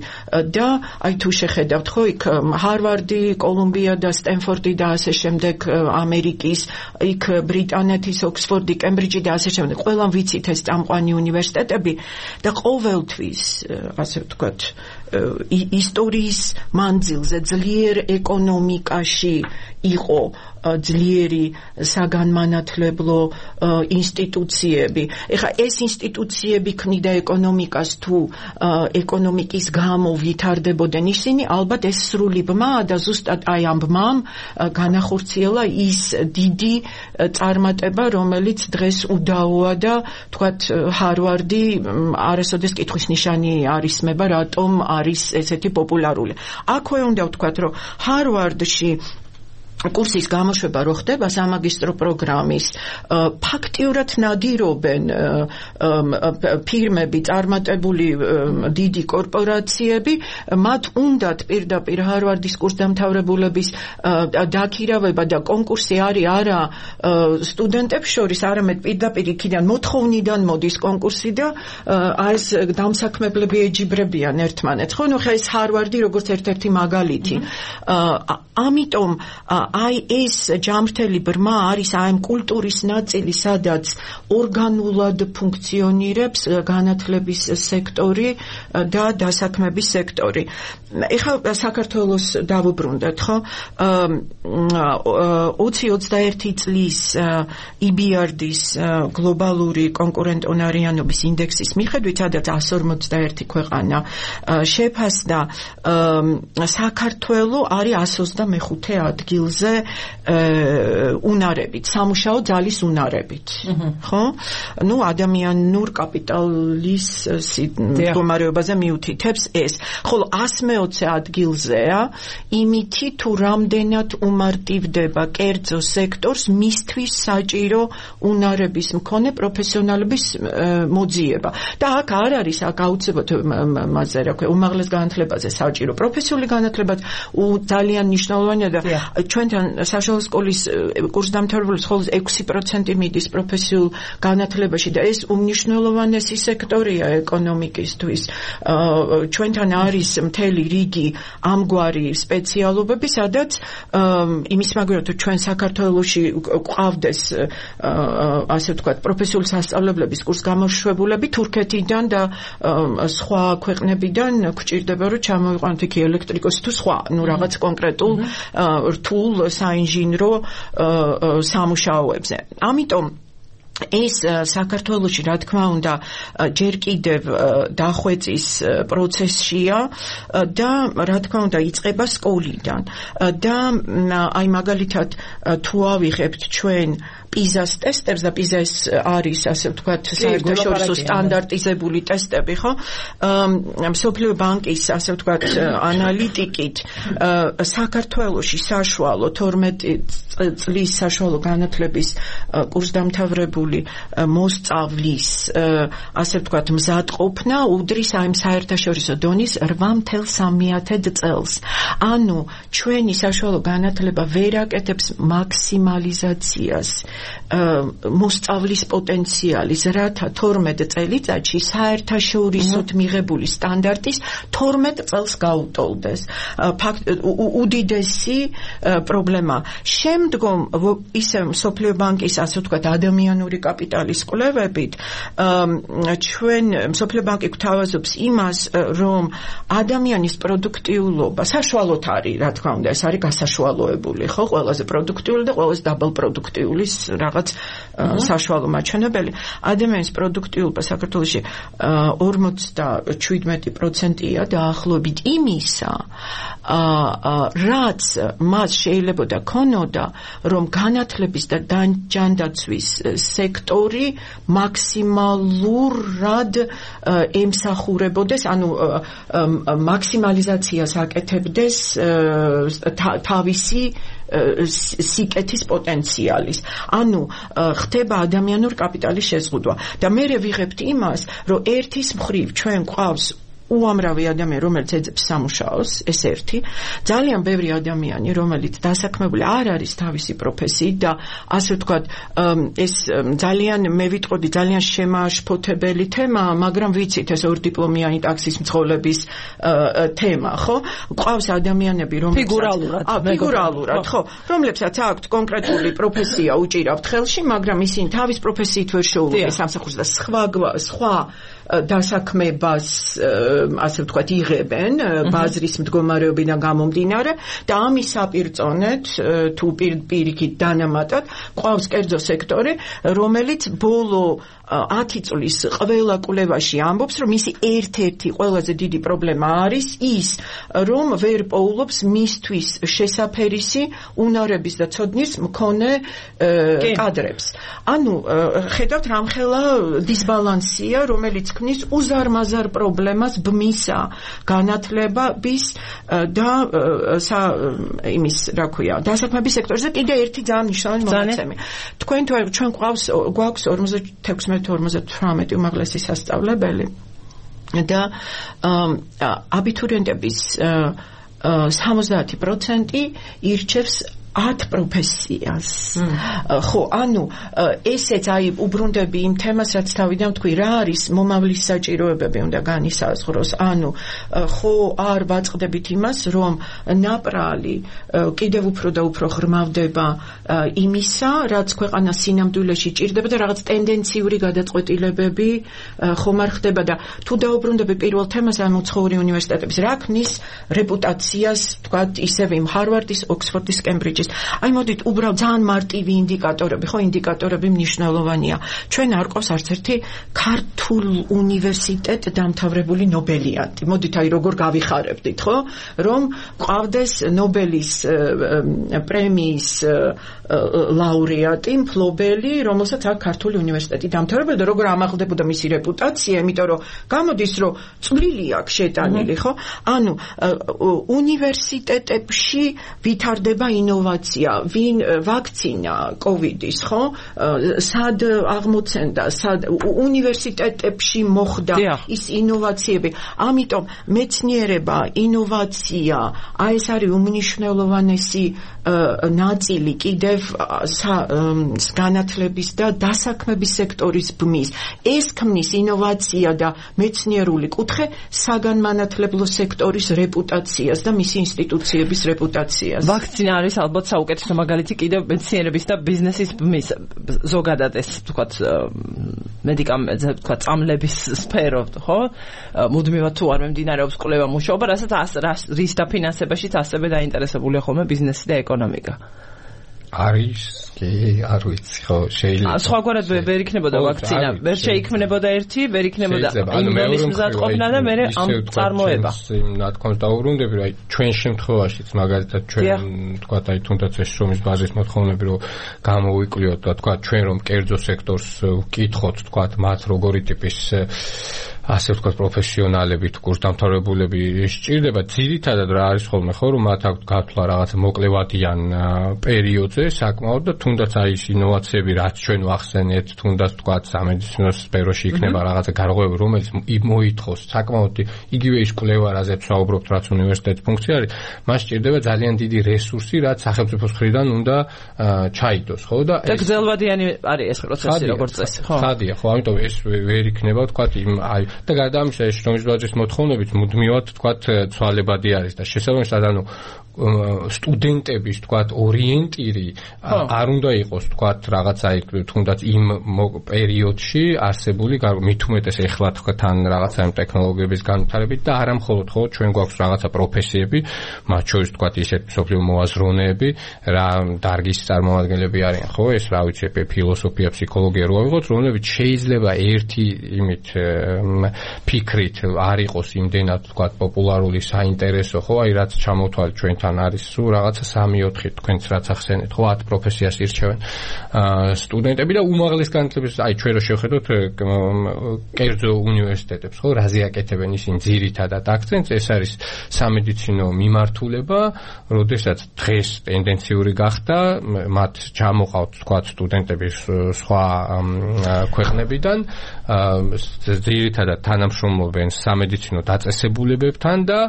და აი თუ შეხედავთ, ხო, იქ ჰარვარდი, კოლუმბია და სტენფორდი და ასე შემდეგ, ამერიკის, იქ ბრიტანეთის, ოქსფორდი, კემბრიჯი და ასე შემდეგ. ყველამ ვიცით ეს წამყვანი უნივერსიტეტები და ყოველთვის, ასე ვთქვათ, ისტორიის მანძილზე ძლიერ ეკონომიკაში იყო ძლიერი საგანმანათლებლო ინსტიტუციები. ეხლა ეს ინსტიტუციები ქმნიდა ეკონომიკას თუ ეკონომიკის გამო ვითარდებოდნენ ისინი, ალბათ ეს სრული ბმაა და ზუსტად აი ამ ბმამ განახორციელა ის დიდი წარმატება, რომელიც დღეს უდაოა და თქვათ ჰარვარდი არასოდეს კითხვის ნიშანი არ ისმება, რატომ არის ესეთი პოპულარული. აქვე უნდა ვთქვათ, რომ ჰარვარდში კურსის გამოშვება რო ხდება სამაგისტრო პროგრამის, ფაქტიურად ნადირობენ ფირმები, წარმატებული დიდი კორპორაციები, მათ უნდათ პირდაპირ ჰარვარდის კურსდამთავრებულების დაქირავება და კონკურსი არის არა სტუდენტებს შორის, არამედ პირდაპირ იქიდან მოთხოვნიდან მოდის კონკურსი და ეს დამსაქმებლები ეჯიბრებიან ერთმანეთს. ხო, ნუ ხა ეს ჰარვარდი როგორც ერთ-ერთი მაგალითი. ამიტომ აი ეს ჯამრთელი ბრმა არის აი ამ კულტურის ნაწილი, სადაც ორგანულად ფუნქციონირებს განათლების სექტორი და დასაქმების სექტორი. ეხლა საქართველოს დავუბრუნდეთ, ხო? 20-21 წლის EBRD-ის გლობალური კონკურენტუნარიანობის ინდექსის მიხედვით, სადაც 151 ქვეყანა შეფასდა, საქართველო არის 125 ადგილზე უნარებით, სამუშაო ძალის უნარებით. ხო? ნუ ადამიანურ კაპიტალის მდგომარეობაზე მიუთითებს ეს. ხოლო 120 ადგილზეა იმითი თუ რამდენად უმარტივდება კერძო სექტორს მისთვის საჭირო უნარების მქონე პროფესიონალების მოძიება. და აქ არ არის აქ აუცილებლად მასე რა ქვია, უმაღლეს განათლებაზე საჭირო პროფესიული განათლება ძალიან მნიშვნელოვანია და ჩვენთან საშუალო სკოლის კურსდამთავრებულებს მხოლოდ 6% მიდის პროფესიულ განათლებაში და ეს უმნიშვნელოვანესი სექტორია ეკონომიკისთვის. ჩვენთან არის მთელი რიგი ამგვარი სპეციალობები, სადაც იმის მაგალითად ჩვენ საქართველოში გვყავდეს ასე ვთქვათ პროფესიული სასწავლებლების კურსგამოშვებულები თურქეთიდან და სხვა ქვეყნებიდან გვჭირდება რომ ჩამოიყვანოთ იქ ელექტრიკოსი თუ სხვა, ნუ რაღაც კონკრეტულ რთულ საინჟინრო სამუშაოებზე. ამიტომ ეს საქართველოში რა თქმა უნდა ჯერ კიდევ დახვეწის პროცესშია და რა თქმა უნდა იწყება სკოლიდან და აი მაგალითად თუ ავიღებთ ჩვენ პიზას ტესტებს და პიზა ეს არის ასე ვთქვათ საერთაშორისო სტანდარტიზებული ტესტები, ხო? მსოფლიო ბანკის ასე ვთქვათ ანალიტიკით საქართველოში საშუალო 12 წლის საშუალო განათლების კურსდამთავრებული მოსწავლის ასე ვთქვათ მზადყოფნა უდრის აი საერთაშორისო დონის 8.3 წელს. ანუ ჩვენი საშუალო განათლება ვერ აკეთებს მაქსიმალიზაციას მოსწავლის პოტენციალის, რათა 12 წელიწადში საერთაშორისოდ მიღებული სტანდარტის 12 წელს გაუტოლდეს. უდიდესი პრობლემა. შემდგომ ისე მსოფლიო ბანკის ასე ვთქვათ ადამიანური კაპიტალის კვლევებით ჩვენ მსოფლიო ბანკი გვთავაზობს იმას, რომ ადამიანის პროდუქტიულობა საშუალოდ არის, რა თქმა უნდა, ეს არის გასაშუალოებული, ხო, ყველაზე პროდუქტიული და ყველაზე დაბალ პროდუქტიულის რაღაც საშუალო მაჩვენებელი. ადამიანის პროდუქტიულობა საქართველოში 47%-ია დაახლოებით იმისა, რაც მას შეიძლებოდა ქონოდა, რომ განათლების და ჯანდაცვის სექტორი მაქსიმალურად ემსახურებოდეს, ანუ მაქსიმალიზაციას აკეთებდეს თავისი სიკეთის პოტენციალის. ანუ ხდება ადამიანურ კაპიტალის შეზღუდვა. და მე ვიღებთ იმას, რომ ერთის მხრივ ჩვენ გვყავს უამრავი ადამიანი, რომელიც ეძებს სამუშაოს, ეს ერთი, ძალიან ბევრი ადამიანი, რომელიც დასაქმებული არ არის თავისი პროფესიით და ასე ვთქვათ, ეს ძალიან მე ვიტყოდი ძალიან შემაშფოთებელი თემაა, მაგრამ ვიცით ეს ორდიპლომიანი ტაქსის მძღოლების თემა, ხო? ყავს ადამიანები, ფიგურალურად, ხო, რომლებსაც აქვთ კონკრეტული პროფესია უჭირავთ ხელში, მაგრამ ისინი თავის პროფესიით ვერ შეუძლებს სამსახურს და სხვა დასაქმებას ასე ვთქვათ იღებენ ბაზრის მდგომარეობიდან გამომდინარე და ამის საპირწონედ თუ პირიქით დანამატად ყავს კერძო სექტორი, რომელიც ბოლო 10 წლის ყველა კვლევაში ამბობს, რომ მისი ერთ-ერთი ყველაზე დიდი პრობლემა არის ის, რომ ვერ პოულობს მისთვის შესაფერისი უნარების და ცოდნის მქონე კადრებს. ანუ ხედავთ რამხელა დისბალანსია, რომელიც ქმნის უზარმაზარ პრობლემას ბმისა განათლების და იმის რა ქვია დასაქმების სექტორზე. კიდე ერთი ძალიან მნიშვნელოვანი მონაცემი. ჩვენ გვაქვს 46-58 უმაღლესი სასწავლებელი და აბიტურიენტების 70% ირჩევს 10 პროფესიას. ხო, ანუ ესეც უბრუნდები იმ თემას, რაც თავიდან ვთქვი, რა არის მომავლის საჭიროებები უნდა განისაზღვროს. ანუ ხო არ ვაწყდებით იმას, რომ ნაპრალი კიდევ უფრო და უფრო ღრმავდება იმისა, რაც ქვეყანას სინამდვილეში ჭირდება და რაღაც ტენდენციური გადაწყვეტილებები ხომ არ ხდება და თუ დაუბრუნდები პირველ თემას, ამ უცხოური უნივერსიტეტების რა ქმნის რეპუტაციას, თქვათ, ისევ იმ ჰარვარდის, ოქსფორდის, კემბრიჯის. აი მოდით უბრალოდ ძალიან მარტივი ინდიკატორები, ხო, ინდიკატორები მნიშვნელოვანია. ჩვენ არ ყავს არც ერთი ქართულ უნივერსიტეტ დამთავრებული ნობელიანტი. მოდით აი როგორ გავიხარებდით, ხო, რომ ყავდეს ნობელის პრემიის ლაურეატი, მფლობელი, რომელსაც აქვს ქართული უნივერსიტეტი დამთავრებული და როგორ ამაღლდებოდა მისი რეპუტაცია, იმიტომ რომ გამოდის, რომ წვლილი აქვს შეტანილი, ხო? ანუ უნივერსიტეტებში ვითარდება ინოვაცია, ვინ ვაქცინა კოვიდის, ხო? სად აღმოცენდა, უნივერსიტეტებში მოხდა ის ინოვაციები. ამიტომ მეცნიერება, ინოვაცია, აი ეს არის უმნიშვნელოვანესი ნაწილი კიდევ განათლების და დასაქმების სექტორის ბმის. ეს ქმნის ინოვაცია და მეცნიერული კუთხე საგანმანათლებლო სექტორის რეპუტაციას და მისი ინსტიტუციების რეპუტაციას. ვაქცინა არის ალბათ საუკეთესო მაგალითი კიდევ მეცნიერების და ბიზნესის ბმის ზოგადად ეს თქვათ მედიკამენტზე თქვათ წამლების სფერო, ხო? მუდმივად თუ არ მიმდინარეობს კვლევა მუშაობა, რასაც რის დაფინანსებაშიც ასევე დაინტერესებულია ხოლმე ბიზნესი და ეკონომიკა. არის კი არ ვიცი ხო შეიძლება სხვაგვარად ვერ იქნებოდა ვაქცინა ვერ შეიქმნებოდა ერთი ვერ იქნებოდა იმდენის მზადყოფნა და მე ამ წარმოება ნათქვამს დაუბრუნდები რომ აი ჩვენ შემთხვევაშიც მაგალითად ჩვენ თქვათ აი თუნდაც ეს შრომის ბაზრის მოთხოვნები რომ გამოვიკვლიოთ და თქვათ ჩვენ რომ კერძო სექტორს ვკითხოთ თქვათ მათ როგორი ტიპის ასე ვთქვათ პროფესიონალები თუ კურსდამთავრებულები სჭირდება ძირითადად რა არის ხოლმე ხო რომ მათ აქვს გათვლა რაღაც მოკლევადიან პერიოდზე საკმაოდ და თუნდაც აი ეს ინოვაციები რაც ჩვენ ვახსენეთ თუნდაც თქვათ სამედიცინო სფეროში იქნება რაღაცა გარღვევები რომელიც მოითხოვს საკმაოდ იგივე ის კვლევა რაზეც ვსაუბრობთ რაც უნივერსიტეტის ფუნქცია არის მას სჭირდება ძალიან დიდი რესურსი რაც სახელმწიფოს მხრიდან უნდა ჩაიდოს ხო და გრძელვადიანი არის ეს პროცესი როგორც წესი ხო ხადია ხო ამიტომ ეს ვერ იქნება თქვათ იმ აი და გარდა ამისა ეს შრომის ბაზრის მოთხოვნებით მუდმივად თქვათ ცვალებადი არის და შესაბამისად ანუ სტუდენტების თქვათ ორიენტირი არ უნდა იყოს თქვათ რაღაცა თუნდაც იმ პერიოდში არსებული მით უმეტეს ეხლა თქვათ თან რაღაცა იმ ტექნოლოგიების განვითარებით და არა მხოლოდ ხო ჩვენ გვაქვს რაღაცა პროფესიები მათ შორის თქვათ ისეთ მსოფლიო მოაზროვნეები რა დარგის წარმომადგენლები არიან ხო ეს რა ვიცი ფილოსოფია ფსიქოლოგია რო ავიღოთ რომლებიც შეიძლება ერთი იმით ფიქრით არ იყოს იმდენად თქვათ პოპულარული საინტერესო ხო აი რაც ჩამოთვალეთ ჩვენთან არის სულ რაღაცა 3-4 თქვენც რაც ახსენეთ ხო 10 პროფესიას ირჩევენ სტუდენტები და უმაღლეს განათლების აი ჩვენ რო შევხედოთ კერძო უნივერსიტეტებს ხო რაზე აკეთებენ ისინი ძირითადად აქცენტს ეს არის სამედიცინო მიმართულება როდესაც დღეს ტენდენციური გახდა მათ ჩამოყავთ თქვათ სტუდენტები სხვა ქვეყნებიდან ძირითადად თანამშრომლობენ სამედიცინო დაწესებულებებთან და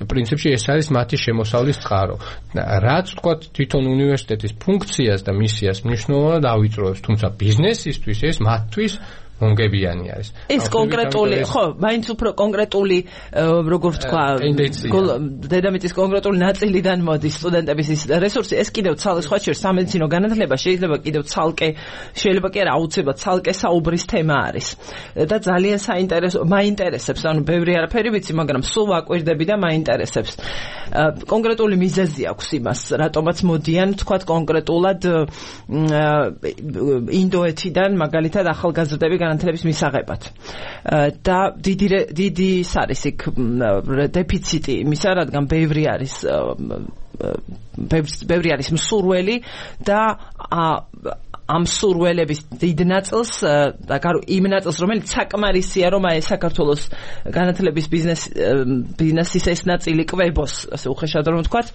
პრინციპში ეს არის მათი შემოსავლის წყარო. რაც თქვათ თვითონ უნივერსიტეტის ფუნქციას და მისიას მნიშვნელოვნად ავიწროებს, თუმცა ბიზნესისთვის ეს მათთვის მომგებიანი არის. ეს კონკრეტული, ხო, მაინც უფრო კონკრეტული, როგორ ვთქვა, დედამიწის კონკრეტული ნაწილიდან მოდის სტუდენტების ის რესურსი, ეს კიდევ სხვა შორის სამედიცინო განათლება შეიძლება კიდევ შეიძლება კი არა აუცილებლად ცალკე საუბრის თემა არის. და ძალიან საინტერესო, მაინტერესებს, ანუ ბევრი არაფერი ვიცი, მაგრამ სულ ვაკვირდები და მაინტერესებს. კონკრეტული მიზეზი აქვს იმას, რატომაც მოდიან, თქვათ კონკრეტულად ინდოეთიდან, მაგალითად ახალგაზრდები განათლების მისაღებად. და დიდი არის იქ დეფიციტი იმისა, რადგან ბევრი არის მსურველი და ამ სურველების დიდ ნაწილს და იმ ნაწილს რომელიც საკმარისია რომ აი საქართველოს განათლების ბიზნესის ეს ნაწილი კვებოს ასე უხეშად რომ ვთქვათ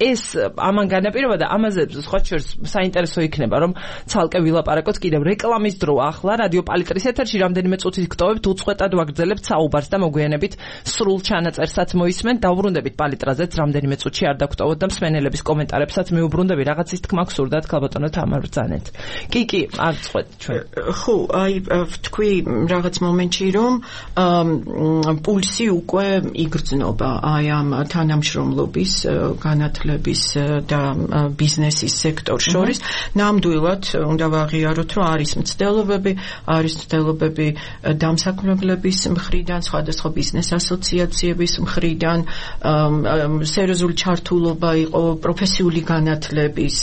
ეს ამან განაპირობა და ამაზე სხვა შორის საინტერესო იქნება რომ ცალკე ვილაპარაკოთ კიდევ რეკლამის დრო ახლა რადიო პალიტრის ეთერში რამდენიმე წუთით გტოვებთ უწყვეტად ვაგრძელებთ საუბარს და მოგვიანებით სრულ ჩანაწერსაც მოისმენთ დავუბრუნდებით პალიტრაზეც რამდენიმე წუთში არ დაგტოვოთ და მსმენელების კომენტარებსაც მიუბრუნდები რაღაცის თქმა გსურდათ ქალბატონო თამარ კი, არ წყვეთ ჩვენ. ხო, აი ვთქვი რაღაც მომენტში რომ პულსი უკვე იგრძნობა აი ამ თანამშრომლობის, განათლების და ბიზნესის სექტორს შორის. ნამდვილად უნდა ვაღიაროთ, რომ არის მცდელობები დამსაქმებლების მხრიდან, სხვადასხვა ბიზნეს ასოციაციების მხრიდან, სერიოზული ჩართულობა იყო პროფესიული განათლების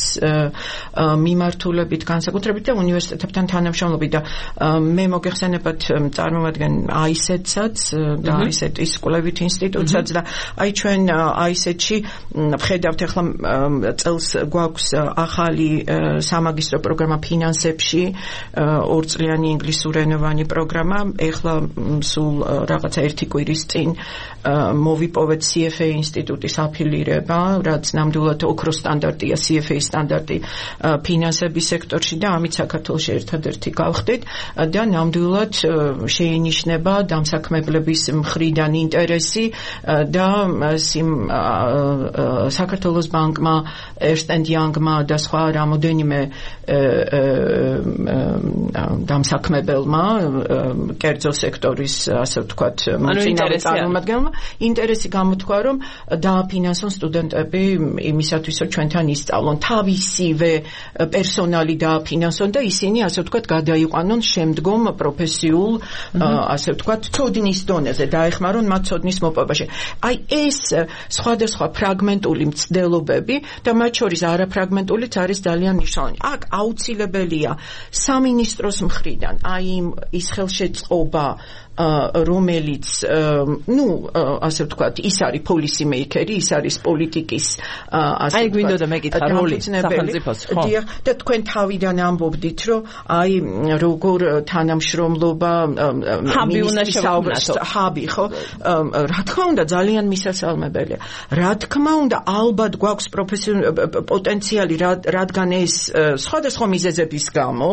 მიმართულებით განსაკუთრებით და უნივერსიტეტებთან თანამშრომლობით და მე მოგეხსენებათ წარმოვადგენ AICET-საც და AICET-ის კვლევით ინსტიტუტსაც და აი ჩვენ AICET-ში ვხედავთ ახლა წელს გვაქვს ახალი სამაგისტრო პროგრამა ფინანსებში 2 წლიანი ინგლისურენოვანი პროგრამა ახლა სულ რაღაცა 1 კვირის წინ მოვიპოვეთ CFA ინსტიტუტის აფილირება რაც ნამდვილად ოქროს სტანდარტია CFA სტანდარტი ფინანსების სექტორში და ამით საქართველოში ერთადერთი გავხდით და ნამდვილად შეინიშნება დამსაქმებლების მხრიდან ინტერესი და საქართველოს ბანკმა, Ernst & Young-მა და სხვა რამოდენიმე დამსაქმებელმა კერძო სექტორის ასე ვთქვათ წარმომადგენელმა ინტერესი გამოთქვა რომ დააფინანსონ სტუდენტები იმისათვის რომ ჩვენთან ისწავლონ თავისივე პერსონალი დააფინანსონ და ისინი ასე ვთქვათ გადაიყვანონ შემდგომ პროფესიულ ასე ვთქვათ ცოდნის დონეზე დაეხმარონ მათ ცოდნის მოპოვებაში. აი ეს სხვადასხვა ფრაგმენტული მცდელობები და მათ შორის არაფრაგმენტულიც არის ძალიან მნიშვნელოვანი. აქ აუცილებელია სამინისტროს მხრიდან აი ის ხელშეწყობა რომელიც ასე ვთქვათ ის არის policy maker-ი, ის არის პოლიტიკის ასე აი გვინდოდა მეკითხა როლი სახელმწიფოს ხო და თქვენ თავიდან ამბობდით რომ აი როგორ თანამშრომლობა მინისტრის ჰაბი ხო რა თქმა უნდა ძალიან მისასალმებელია რა თქმა უნდა ალბათ გვაქვს პოტენციალი რადგან ეს სხვადასხვა მიზეზების გამო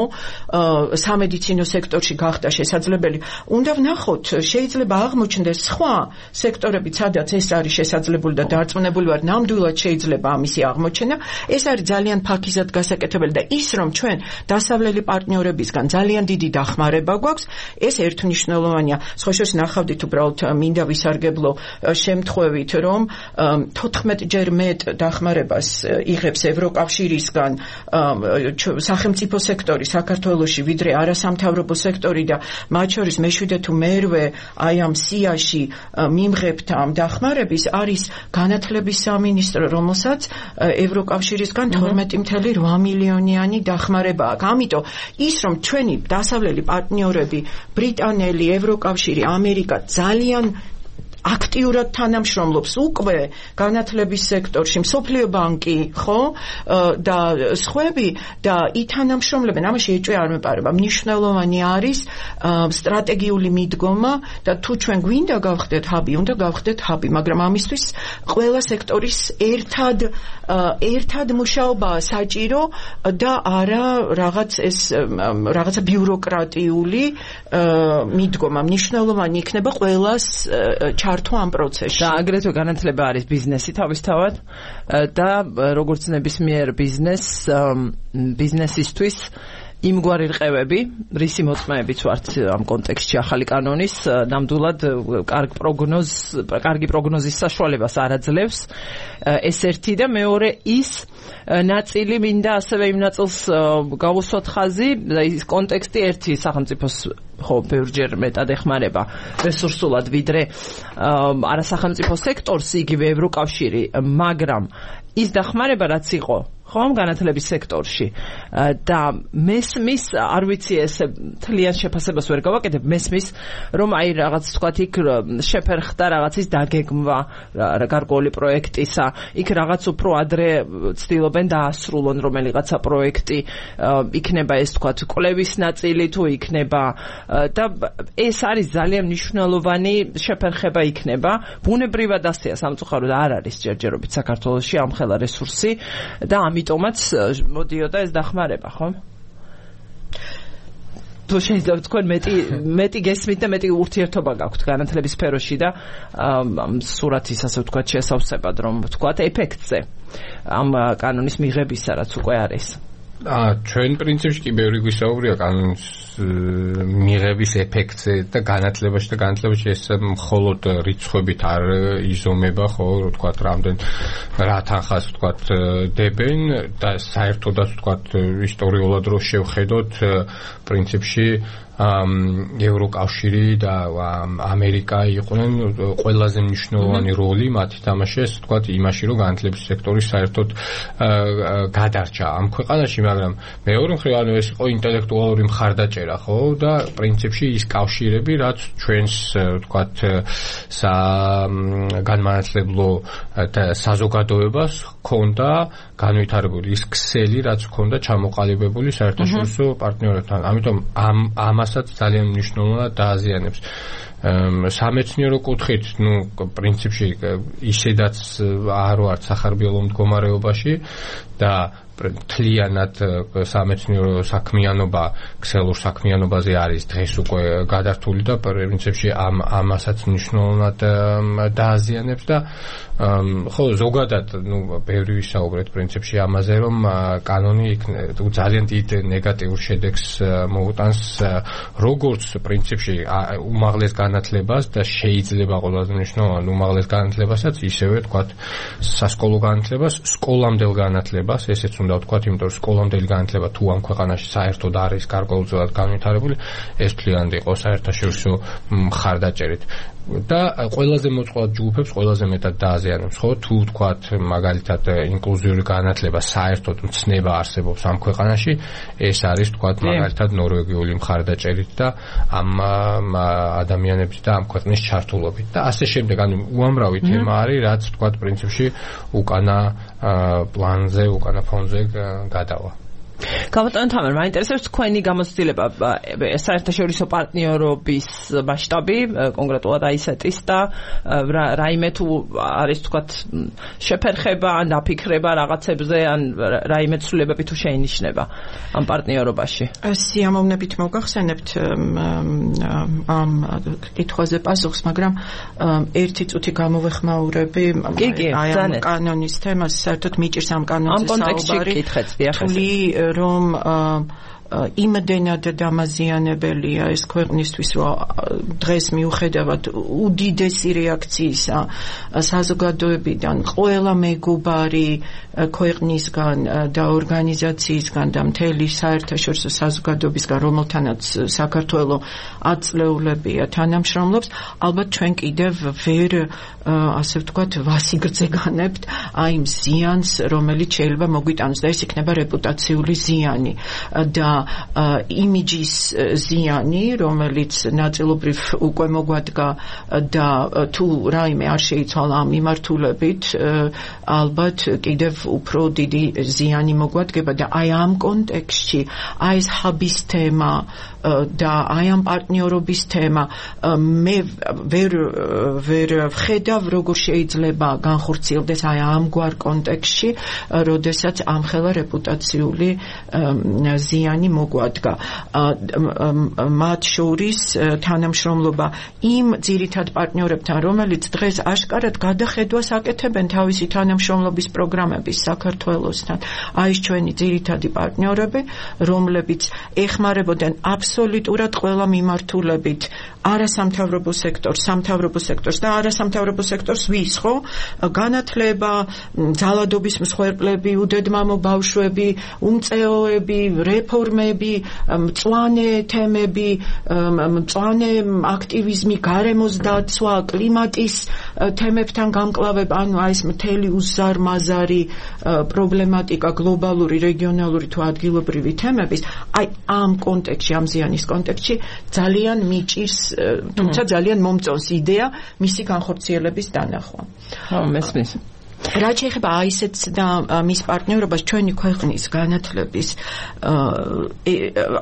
სამედიცინო სექტორში გახდა შესაძლებელი უნდა ვნახოთ, შეიძლება აღმოჩნდეს სხვა სექტორები, სადაც ეს არის შესაძლებელი და დარწმუნებული ვარ, ნამდვილად შეიძლება ამისი აღმოჩენა. ეს არის ძალიან ფაქიზად გასაკეთებელი და ის რომ ჩვენ დასავლელი პარტნიორებისგან ძალიან დიდი დახმარება გვაქვს, ეს ერთმნიშვნელოვანია. სხვა შორის ნახავდით უბრალოდ მინდა ვისარგებლო შემთხვევით, რომ 14ჯერ მეტ დახმარებას იღებს ევროკავშირისგან სახელმწიფო სექტორი საქართველოში, ვიდრე არასამთავრობო სექტორი და მათ შორის მეშვიდე თუ მერვე აი ამ სიაში მიმღებთ ამ დახმარების არის განათლების სამინისტრო, რომელსაც ევროკავშირისგან 12.8 მილიონიანი დახმარება აქვს. ამიტომ ის რომ ჩვენი დასავლელი პარტნიორები, ბრიტანელი, ევროკავშირი, ამერიკა ძალიან აქტიურად თანამშრომლობს უკვე განათლების სექტორში, მსოფლიო ბანკი, ხო? და სხვები და ითანამშრომლებენ, ამაში ეჭვი არ მეპარება. მნიშვნელოვანი არის სტრატეგიული მიდგომა და თუ ჩვენ გვინდა გავხდეთ ჰაბი, უნდა გავხდეთ ჰაბი, მაგრამ ამისთვის ყველა სექტორის ერთად მუშაობაა საჭირო და არა რაღაცა ბიუროკრატიული მიდგომა. მნიშვნელოვანი იქნება ყველას ამ პროცესში. და აგრეთვე განათლება არის ბიზნესი თავისთავად და როგორც ნებისმიერ ბიზნესისთვის იმგვარი რყევები, რისი მოწმეებიც ვართ ამ კონტექსტში ახალი კანონის, ნამდვილად კარგი პროგნოზის საშუალებას არ აძლევს. ეს ერთი და მეორე ის ნაწილი მინდა ასევე იმ ნაწილს გავუსვათ ხაზი და ის კონტექსტი ერთი სახელმწიფოს ხო ბევრჯერ მეტად ეხმარება რესურსულად ვიდრე არასახელმწიფო სექტორს იგივე ევროკავშირი, მაგრამ ის დახმარება რაც იყო ხომ განათლების სექტორში და მესმის არ ვიცი ეს თლიან შეფასებას ვერ გავაკეთებ მესმის რომ აი რაღაც თქვათ იქ შეფერხდა რაღაცის დაგეგმვა გარკვეული პროექტისა იქ რაღაც უფრო ადრე ცდილობენ დაასრულონ რომელიღაცა პროექტი იქნება ეს თქვათ კვლევის ნაწილი თუ იქნება და ეს არის ძალიან მნიშვნელოვანი შეფერხება იქნება ბუნებრივად ასეა სამწუხაროდ არ არის ჯერჯერობით საქართველოში ამხელა რესურსი და ამიტომაც მოდიოდა ეს დახმარება, ხო? თუ შეიძლება თქვენ მეტი გესმით და მეტი ურთიერთობა გაქვთ განათლების სფეროში და სურათის ასე ვთქვათ შესავსებად რომ ვთქვათ ეფექტზე ამ კანონის მიღებისა რაც უკვე არის. ჩვენ პრინციპში კი ბევრი გვისაუბრია კანონის მიღების ეფექტზე და განათლებაში ეს მხოლოდ რიცხვებით არ იზომება, ხო, ვთქვათ, რამდენ რა თანხას ვთქვათ დებენ და საერთოდაც ვთქვათ ისტორიულად რო შევხედოთ პრინციპში ევროკავშირი და ამერიკა იყვნენ ყველაზე მნიშვნელოვანი როლი მათი თამაშეს, ვთქვათ, იმაში რომ განათლების სექტორი საერთოდ გადარჩა ამ ქვეყანაში, მაგრამ მეორე მხრივ ანუ ეს იყო ინტელექტუალური მხარდაჭერა, ხო, და პრინციპში ის კავშირები, რაც ჩვენს, ვთქვათ, განმანათლებლო საზოგადოებას ჰქონდა განვითარებული ის ქსელი, რაც ჰქონდა ჩამოყალიბებული საერთაშორისო პარტნიორებთან. ამიტომ ამასაც ძალიან მნიშვნელოვნად დააზიანებს. სამეცნიერო კუთხით, პრინციპში ისედაც არ ვართ სახარბიელო მდგომარეობაში და თლიანად სამეცნიერო საქმიანობა, ქსელურ საქმიანობაზე არის დღეს უკვე გადართული და პრინციპში ამასაც მნიშვნელოვნად დააზიანებს და ხო ზოგადად ბევრი ვისაუბრეთ პრინციპში ამაზე რომ კანონი ძალიან დიდ ნეგატიურ შედეგს მოუტანს როგორც პრინციპში უმაღლეს განათლებას და შეიძლება ყველაზე მნიშვნელოვანი უმაღლეს განათლებასაც ისევე თქვათ სასკოლო განათლებას, სკოლამდელ განათლებას, ესეც უნდა ვთქვათ, იმიტომ რომ სკოლამდელი განათლება თუ ამ ქვეყანაში საერთოდ არის გარკვეულწილად განვითარებული, ეს მთლიანად იყო საერთაშორისო მხარდაჭერით. და ყველაზე მოწყვლად ჯგუფებს ყველაზე მეტად დააზიანებს, ხო? თუ ვთქვათ, მაგალითად, ინკლუზიური განათლება საერთოდ მცნება არსებობს ამ ქვეყანაში, ეს არის ვთქვათ, მაგალითად, ნორვეგიული მხარდაჭერით და ამ ადამიანების და ამ ქვეყნის ჩართულობით. და ასე შემდეგ, ანუ უამრავი თემა არის, რაც ვთქვათ, პრინციპში უკანა პლანზე, უკანა ფონზე გადავა. გამოტანთ ამერ მაინტერესებს თქვენი გამოცდილება საერთაშორისო პარტნიორობის მასშტაბი კონკრეტულად აისეტის და რაიმე თუ არის თქვათ შეფერხება ან დაფიქრება რაღაცებზე ან რაიმე ცვლილებები თუ შეინიშნება ამ პარტნიორობაში სიამოვნებით მოგახსენებთ ამ კითხვაზე პასუხს მაგრამ ერთი წუთი გამოვეხმაურები აი ამ კანონის თემას საერთოდ მიჭირს ამ კანონზე საუბარი რომ იმდენად დამაზიანებელია ეს ქვეყნისთვის, რომ დღეს მიუხედავად უდიდესი რეაქციისა საზოგადოებიდან ყველა მეგობარი ქვეყნისგან და ორგანიზაციისგან და მთელი საერთაშორისო საზოგადოებისგან, რომელთანაც საქართველო აწლეულებია თანამშრომლობს, ალბათ ჩვენ კიდევ ვერ ასე ვთქვათ ვასიგრძეგანებთ აი იმ ზიანს, რომელიც შეიძლება მოგვიტანოს და ეს იქნება რეპუტაციული ზიანი და იმიჯის ზიანი, რომელიც ნაწილობრივ უკვე მოგვადგა და თუ რაიმე არ შეიცვალა ამ მიმართულებით, ალბათ კიდევ უფრო დიდი ზიანი მოგვადგება და აი ამ კონტექსტში აი ეს ჰაბის თემა და აი ამ პარტნიორობის თემა მე ვერ ვხედავ როგორ შეიძლება განხორციელდეს აი ამგვარ კონტექსტში, როდესაც ამხელა რეპუტაციული ზიანი მოგვადგა. მათ შორის თანამშრომლობა იმ ძირითად პარტნიორებთან, რომელიც დღეს აშკარად გადახედვას აკეთებენ თავისი თანამშრომლობის პროგრამების საქართველოსთან. აი ეს ჩვენი ძირითადი პარტნიორები, რომლებიც ეხმარებოდნენ აბსოლუტურად ყველა მიმართულებით არასამთავრობო სექტორს, სამთავრობო სექტორს და არასამთავრობო სექტორს ვის, ხო? განათლება, ძალადობის მსხვერპლები, უდედმამო ბავშვები, უმწეოები, რეფორმები, მწვანე თემები, მწვანე აქტივიზმი, გარემოს დაცვა, კლიმატის თემებთან გამკლავება, ანუ აი ეს მთელი უზარმაზარი პრობლემატიკა, გლობალური, რეგიონალური თუ ადგილობრივი თემების, აი ამ კონტექსტში, ამ ზიანის კონტექსტში ძალიან მიჭირს, თუმცა ძალიან მომწონს იდეა მისი განხორციელების დანახვა. მესმის. რაც შეეხება აისეტს და მის პარტნიორობას ჩვენი ქვეყნის განათლების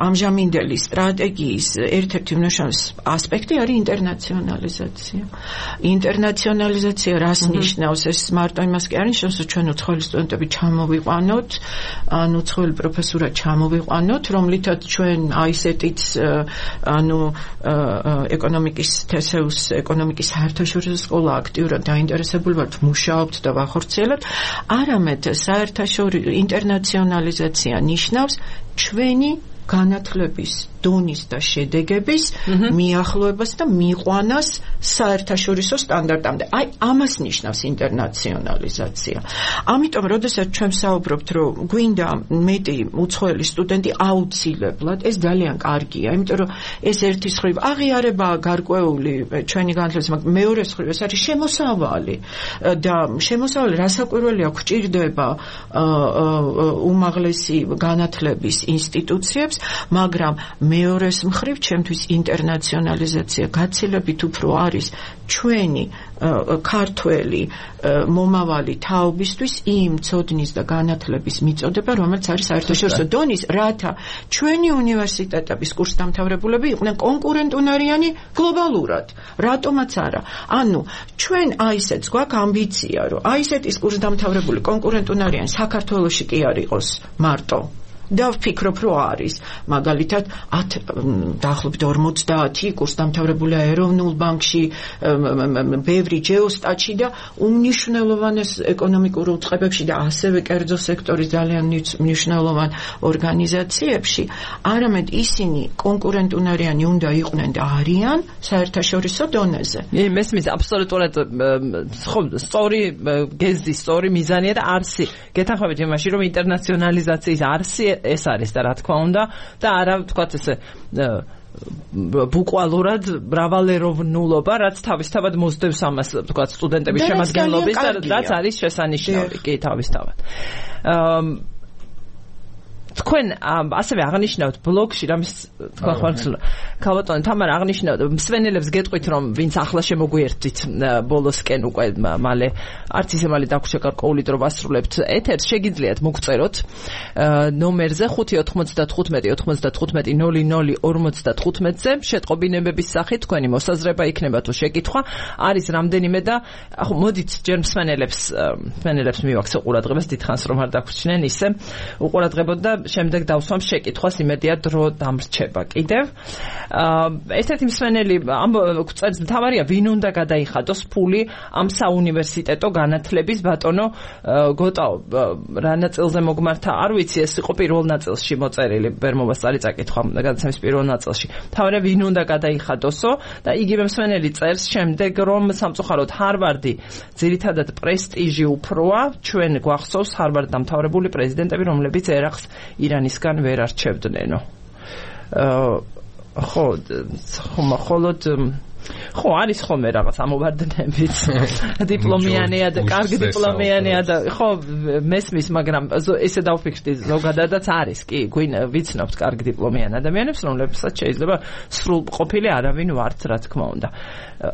ამჟამინდელი სტრატეგიის ერთ-ერთი მნიშვნელოვანი ასპექტი არის ინტერნაციონალიზაცია. ინტერნაციონალიზაცია რას ნიშნავს? ეს მარტო იმას კი არ ნიშნავს, რომ ჩვენ უცხოელი სტუდენტები ჩამოვიყვანოთ, ანუ უცხოელი პროფესორად ჩამოვიყვანოთ, რომლითაც ჩვენ აისეტიც ანუ ეკონომიკის თესეუს ეკონომიკის საერთაშორისო სკოლა აქტიურად დაინტერესებული ვართ, მუშაობთ და ხორციელებთ, არამედ საერთაშორისო ინტერნაციონალიზაცია ნიშნავს ჩვენი განათლების დონის და შედეგების მიახლოებას და მიყვანას საერთაშორისო სტანდარტამდე. აი ამას ნიშნავს ინტერნაციონალიზაცია. ამიტომ, როდესაც ჩვენ ვსაუბრობთ, რომ გვინდა მეტი უცხოელი სტუდენტი აუცილებლად, ეს ძალიან კარგია, იმიტომ რომ ეს ერთის მხრივ აღიარებაა გარკვეული ჩვენი განათლების, მაგრამ მეორეს მხრივ ეს არის შემოსავალი და შემოსავალი რასაკვირველია გვჭირდება უმაღლესი განათლების ინსტიტუციებს, მაგრამ მეორეს მხრივ ჩემთვის ინტერნაციონალიზაცია გაცილებით უფრო არის ჩვენი ქართველი მომავალი თაობისთვის იმ ცოდნის და განათლების მიწოდება, რომელიც არის საერთაშორისო დონის, რათა ჩვენი უნივერსიტეტების კურსდამთავრებულები იყვნენ კონკურენტუნარიანი გლობალურად. რატომაც არა. ანუ ჩვენ აისეტს გვაქვს ამბიცია, რომ აისეტის კურსდამთავრებული კონკურენტუნარიანი საქართველოში კი არ იყოს მარტო. და ვფიქრობ, რომ არის. მაგალითად, დაახლოებით 50 კურსდამთავრებულია ეროვნულ ბანკში, ბევრი ჯეოსტატში და უმნიშვნელოვანეს ეკონომიკურ უწყებებში და ასევე კერძო სექტორის ძალიან მნიშვნელოვან ორგანიზაციებში, არამედ ისინი კონკურენტუნარიანი უნდა იყვნენ და არიან საერთაშორისო დონეზე. მესმის აბსოლუტურად სწორი გეზი, სწორი მიზანია და არსი. გეთანხმებით იმაში, რომ ინტერნაციონალიზაციის არსი ეს არის და რა თქმა უნდა და არა ვთქვათ ესე ბუკვალურად მრავალეროვნულობა, რაც თავისთავად მოსდევს ამას ვთქვათ სტუდენტების შემადგენლობის და რაც არის შესანიშნავი კი თავისთავად. თქვენ ასევე აღნიშნავთ ბლოგში რამის თქვა ხარ ქალბატონო თამარ აღნიშნავთ მსვენელებს გეტყვით რომ ვინც ახლა შემოგვიერთვით ბოლოსკენ უკვე მალე არც ისე მალე დაგვრჩა გარკვეული დრო ვასრულებთ ეთერს შეგიძლიათ მოგწეროთ ნომერზე 595-95-00-55-ზე შეტყობინებების სახით თქვენი მოსაზრება იქნება თუ შეკითხვა არის რამდენიმე და მოდით ჯერ მსვენელებს მივაქცე ყურადღებას დიდხანს რომ არ დაგვრჩნენ ისე უყურადღებოდ და შემდეგ დავსვამ შეკითხვას იმედია დრო დამრჩება კიდევ ერთ-ერთი მსვენელი წერს მთავარია ვინ უნდა გადაიხადოს ფული ამ საუნივერსიტეტო განათლების ბატონო გოტაო რა ნაწილზე მოგმართა არ ვიცი ეს იყო პირველ ნაწილში მოწერილი ვერ მომასწარი წაკითხვა გადაცემის პირველ ნაწილში მთავარია ვინ უნდა გადაიხადოსო და იგივე მსვენელი წერს შემდეგ რომ სამწუხაროდ ჰარვარდი ძირითადად პრესტიჟი უფროა ჩვენ გვახსოვს ჰარვარდ დამთავრებული პრეზიდენტები რომლებიც ერახს ირანისგან ვერ არჩევდნენო ხოლოდ ხო არის ხოლმე რაღაც ამოვარდნებით დიპლომიანია და კარგი დიპლომიანია და ხო მესმის მაგრამ ესე დავფიქრდი ზოგადადაც არის კი ვიცნობთ კარგი დიპლომიან ადამიანებს რომლებსაც შეიძლება სრულ ყოფილი არავინ ვართ რა თქმა უნდა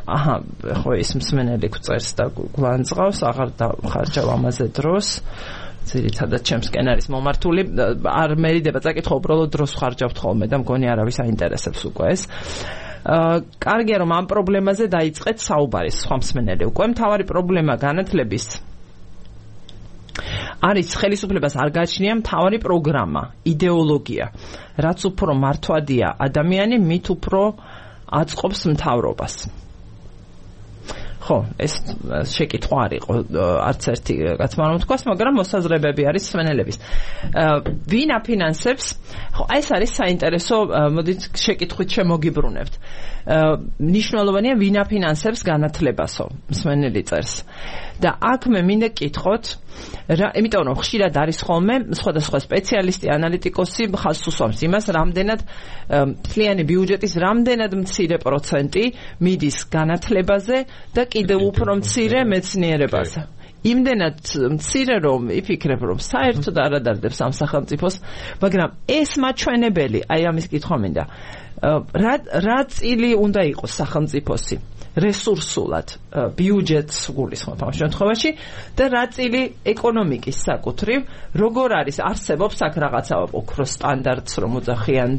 აჰა ხო ეს მსმენელი გვწერს და გვანძღავს აღარ დავხარჯავ ამაზე დროს ძირითადად ჩემსკენ არის მომართული არ მერიდება წაკითხვა უბრალოდ დროს ხარჯავთ ხოლმე და მგონი არავის აინტერესებს უკვე ეს კარგია რომ ამ პრობლემაზე დაიწყეთ საუბარი სხვა მსმენელი უკვე მთავარი პრობლემა განათლების არის ხელისუფლებას არ გააჩნია მთავარი პროგრამა იდეოლოგია რაც უფრო მართვადია ადამიანი მით უფრო აწყობს მთავრობას ხო ეს შეკითხვა არ იყო არც ერთი კაცმა რომ თქვას მაგრამ მოსაზრებები არის მსმენელების ვინ აფინანსებს ხო ეს არის საინტერესო მოდით შეკითხვით შემოგიბრუნებთ მნიშვნელოვანია ვინ აფინანსებს განათლებასო მსმენელი წერს და აქ მე მინდა კითხოთ იმიტომ რომ ხშირად არის ხოლმე სხვადასხვა სპეციალისტი ანალიტიკოსი ხაზს უსვამს იმას რამდენად მთლიანი ბიუჯეტის რამდენად მცირე პროცენტი მიდის განათლებაზე და კიდევ უფრო მცირე მეცნიერებაზე იმდენად მცირე რომ იფიქრებ რომ საერთოდ არ ადარდებს ამ სახელმწიფოს მაგრამ ეს მაჩვენებელი აი ამის კითხვა მინდა რა წილი უნდა იყოს სახელმწიფოსი რესურსულად ბიუჯეტს გულისხმობ ამ შემთხვევაში და რა წილი ეკონომიკის საკუთრივ როგორ არის არსებობს აქ რაღაცა ოქროს სტანდარტს რომ უძახიან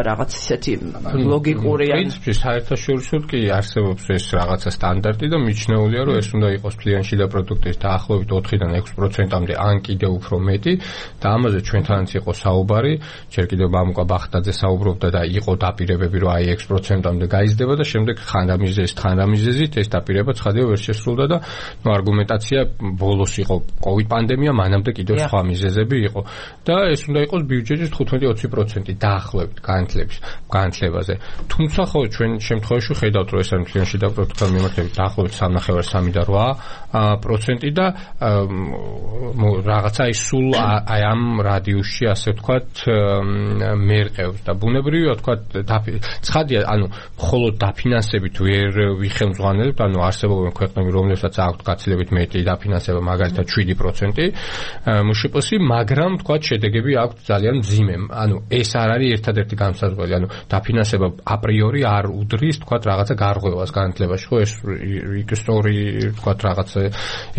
რაღაც ისეთი ლოგიკური ან პრინციპი საერთაშორისოდ კი არსებობს ეს რაღაცა სტანდარტი და მიჩნეულია რომ ეს უნდა იყოს მთლიანი შიდა პროდუქტის დაახლოებით 4-დან 6%-მდე ან კიდევ უფრო მეტი და ამაზე ჩვენთანაც იყო საუბარი ჯერ კიდევ მამუკა ბახტაძე საუბრობდა და იყო დაპირებები რომ აი 6%-მდე გაიზრდება და შემდეგ ხანდამიზეზით ეს დაპირება ცხადია ვერ შესრულდა და არგუმენტაცია ბოლოს იყო COVID პანდემია მანამდე კიდევ სხვა მიზეზები იყო და ეს უნდა იყოს ბიუჯეტის 15-20% დაახლოებით განათლებაზე თუმცა ხო ჩვენ შემთხვევაში ხედავთ რომ ეს არის მთლიანი შიდა პროდუქტთან მიმართებით დაახლოებით 3.8% და რაღაცა ის სულ აი ამ რადიუსში ასე ვთქვათ მერყევს და ბუნებრივია ვთქვათ ცხადია ანუ მხოლოდ დაფინანსებით ვერ ვიხელმძღვანელებთ, ანუ არსებობენ ქვეყნები, რომლებსაც აქვთ გაცილებით მეტი დაფინანსება, მაგალითად 7%, მშპ-ში, მაგრამ თქვა შედეგები აქვთ ძალიან მძიმე. ანუ ეს არ არის ერთადერთი განსაზღვრელი, ანუ დაფინანსება აპრიორი არ უდრის, თქვა რაღაცა გარღვევას განათლებაში, ხო ეს ისტორი, თქვა რაღაცა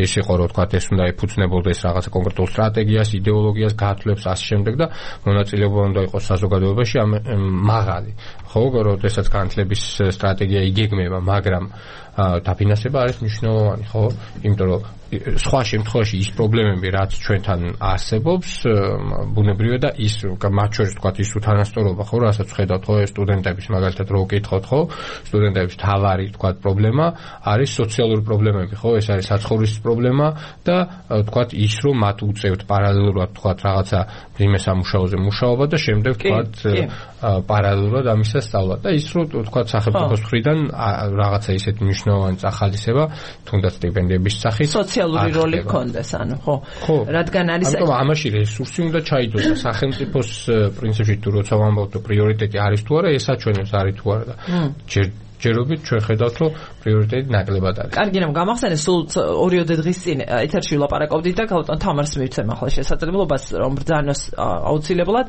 ეს იყო, რომ თქვა ეს უნდა ეფუძნებოდეს რაღაცა კონკრეტულ სტრატეგიას, იდეოლოგიას, გათვლებს ასე შემდეგ და მონაწილეობა უნდა იყოს საზოგადოებაში მაღალი. ხო, როდესაც განათლების სტრატეგია იგეგმება, მაგრამ დაფინანსება არის მნიშვნელოვანი, ხო? იმიტომ რომ სხვა შემთხვევაში ის პრობლემები, რაც ჩვენთან არსებობს, ბუნებრივია და ის მათ შორის თქვა ის უთანასწორობა, ხო, რასაც ხედავთ, ხო, სტუდენტების მაგალითად რო ვკითხოთ, ხო, სტუდენტების თავარი თქვა პრობლემა არის სოციალური პრობლემები, ხო, ეს არის საცხოვრისის პრობლემა და თქვა ის რომ მათ უწევთ პარალელურად თქვა რაღაცა იმე სამუშაოზე მუშაობა და შემდეგ თქვა პარალელურად ამისა სწავლა და ის რომ თქვა სახელმწიფოს მხრიდან რაღაცა ისეთი მნიშვნელოვანი წახალისება, თუნდაც სტიპენდიების სახით სოციალური როლი გქონდეს, ანუ ხო. რადგან არის ამიტომ ამაში რესურსი უნდა ჩაიდოს და სახელმწიფოს პრინციპში თუ როცა ვამბობთ პრიორიტეტი არის თუ არა, ეს აჩვენებს არის თუ არა და ჯერ ჯერობით ჩვენ ხედავთ, რომ პრიორიტეტი ნაკლებად არის. კარგი, რომ გამახსენე, სულ 2-3 დღის წინ ეთერში ვლაპარაკობდით და გავუტან თამარს მივცემ ახლა შესაძლებლობას რომ ბრძანოს აუცილებლად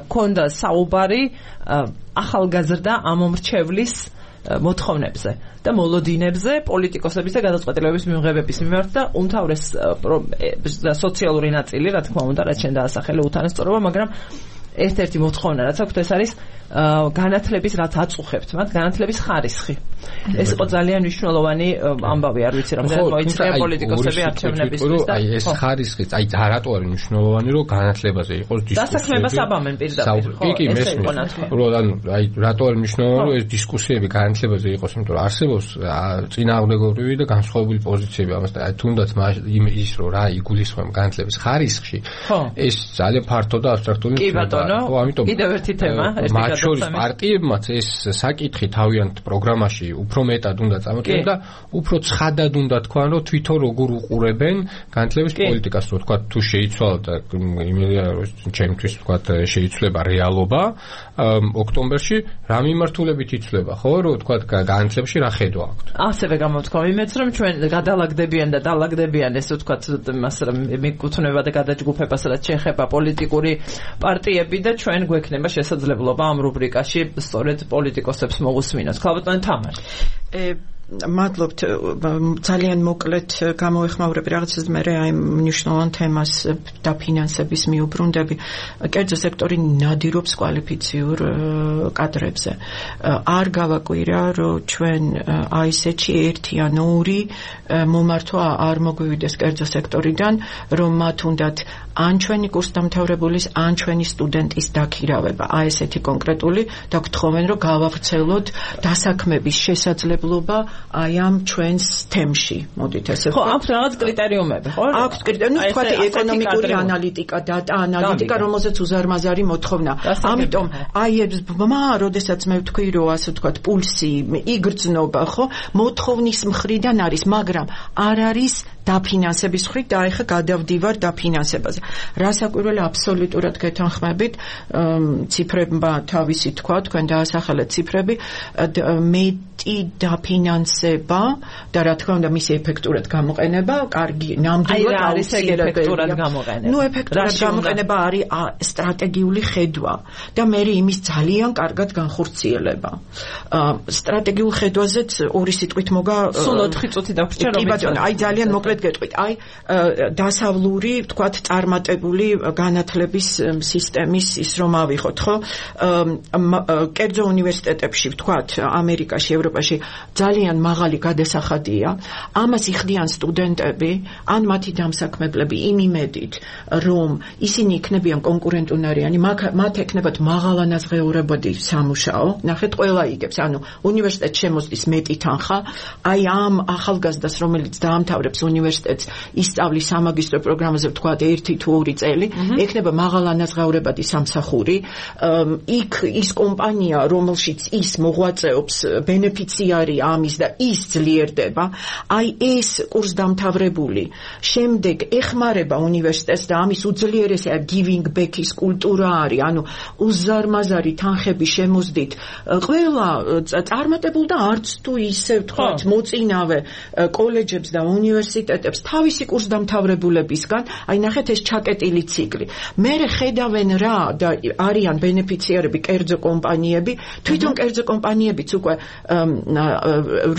ქონდა საუბარი ახალგაზრდა ამომრჩევლის მოთხოვნებზე და მოლოდინებზე პოლიტიკოსების და გადაწყვეტილებების მიღებების მიმართ და უმთავრეს სოციალური ნაწილი, რა თქმა უნდა, რაც შენ დაასახელე უთანასწორობა, მაგრამ ერთ-ერთი მოთხოვნა რაც აქვს ეს არის განათლების რაც აწუხებთ მათ განათლების ხარისხი. ეს იყო ძალიან მნიშვნელოვანი ამბავი, არ ვიცი რამდენად მოიწია პოლიტიკოსები არჩევნებისთვის და აი ეს ხარისხი, აი რატო არის მნიშვნელოვანი, რომ განათლებაზე იყოს დისკუსია. დასაქმებას აბამენ პირდაპირ, ხო? კი, მესმის. ანუ აი რატო არის მნიშვნელოვანი, რომ ეს დისკუსიები განათლებაზე იყოს, იმიტომ რომ არსებობს წინააღმდეგობრივი და განსხვავებული პოზიციები ამას და აი თუნდაც ის რომ რა იგულისხმება განათლების ხარისხში, ეს ძალიან ფართო და აბსტრაქტული ხო, კიდევ ერთი თემა, მათ შორის პარტიებმაც ეს საკითხი თავიანთ პროგრამაში უფრო მეტად უნდა წამოწიონ და უფრო ცხადად უნდა თქვან, რომ თვითონ როგორ უყურებენ განათლების პოლიტიკას, რომ თქვა თუ შეიცვალა და იმედია რომ ჩემთვის თქვა შეიცვლება რეალობა ოქტომბერში რა მიმართულებით იცვლება, ხო, რომ თქვა განათლებაში რა ხედვა აქვთ. ასევე გამოთქვა იმეც, რომ ჩვენ გადალაგდებიან და დალაგდებიან ეს თქვა მას მიკუთვნება და გადაჯგუფებას რაც შეეხება პოლიტიკური პარტიები და ჩვენ გვექნება შესაძლებლობა ამ რუბრიკაში სწორედ პოლიტიკოსებს მოусმინოთ. ქალბატონი თამარ. მადლობთ, ძალიან მოკლედ გამოეხმაურები რაღაცას მე აი მნიშვნელოვან თემას დაფინანსების მიუბრუნდები. კერძო სექტორი ნადირობს კვალიფიციურ კადრებზე. არ გავაკვირა, რომ ჩვენ AIS-ში 1 ან 2 მომართვა არ მოგვივიდეს კერძო სექტორიდან, რომ მათ უნდათ ან ჩვენი კურსდამთავრებულის, ან ჩვენი სტუდენტის დაქირავება. AIS-ეთი კონკრეტული და გთხოვენ, რომ გავავრცელოთ დასაქმების შესაძლებლობა აი ამ ჩვენს თემში. მოდით ესე ხო, აქვს რაღაც კრიტერიუმები, ხო? აქვს კრიტერიუმი, თქვა ეკონომიკური ანალიტიკა, დატა ანალიტიკა, რომელზეც უზარმაზარი მოთხოვნა. ამიტომ აი ეს ბმა, როდესაც მე ვთქვი, რომ ასე ვთქვათ, პულსი იგრძნობა, ხო? მოთხოვნის მხრიდან არის, მაგრამ არ არის დაფინანსების მხრით და ეხა გადავდივარ დაფინანსებაზე. რასაკვირველია, აბსოლუტურად გეთანხმებით, ციფრებმა თავისი თქვა, თქვენ დაასახელეთ ციფრები, მეტი დაფინანსება და რა თქმა უნდა მისი ეფექტურად გამოყენება, კარგი, ნამდვილად აუცილებელია. ნუ ეფექტურად გამოყენება არის სტრატეგიული ხედვა და მე იმის ძალიან კარგად განხორციელება. სტრატეგიულ ხედვაზეც ორი სიტყვით მოგა სულ 4 წუთი დაგვჭირდა რომ ვიცი. აი ძალიან მოკლედ გეტყვით. აი დასავლური, ვთქვათ, წარმატებული განათლების სისტემის ის რომ ავიღოთ, ხო? კერძო უნივერსიტეტებში, ვთქვათ, ამერიკაში, ევროპაში ძალიან მაღალი გადასახადია. ამას იხდიან სტუდენტები, ან მათი დამსაქმებლები იმ იმედით, რომ ისინი იქნებიან კონკურენტუნარიანი, მათ ექნებათ მაღალანაზღეურებადი სამუშაო. ნახეთ, ყველა იგებს, ანუ უნივერსიტეტს შემოსდის მეტი თანხა, აი ამ ახალგაზრდას, რომელიც დაამთავრებს უნივერსიტეტს, ისწავლის სამაგისტრო პროგრამაზე, ვთქვათ, 1 თუ 2 წელი, ექნება მაღალანაზღეურებადი სამსახური. იქ ის კომპანია, რომელშიც ის მოღვაწეობს, ბენეფიციარი ამის და ის ძლიერდება. აი ეს კურსდამთავრებული შემდეგ ეხმარება უნივერსიტეტს და ამის უძლიერესი giving back-ის კულტურა არის, ანუ უზარმაზარი თანხების შემოსდით ყველა წარმატებულ და არც თუ ისე ვთქვათ მოწინავე კოლეჯებს და უნივერსიტეტებს თავისი კურსდამთავრებულებისგან, აი ნახეთ ეს ჩაკეტილი ციკლი. მერე ხედავენ რა და არიან ბენეფიციარები კერძო კომპანიები, თვითონ კერძო კომპანიებიც უკვე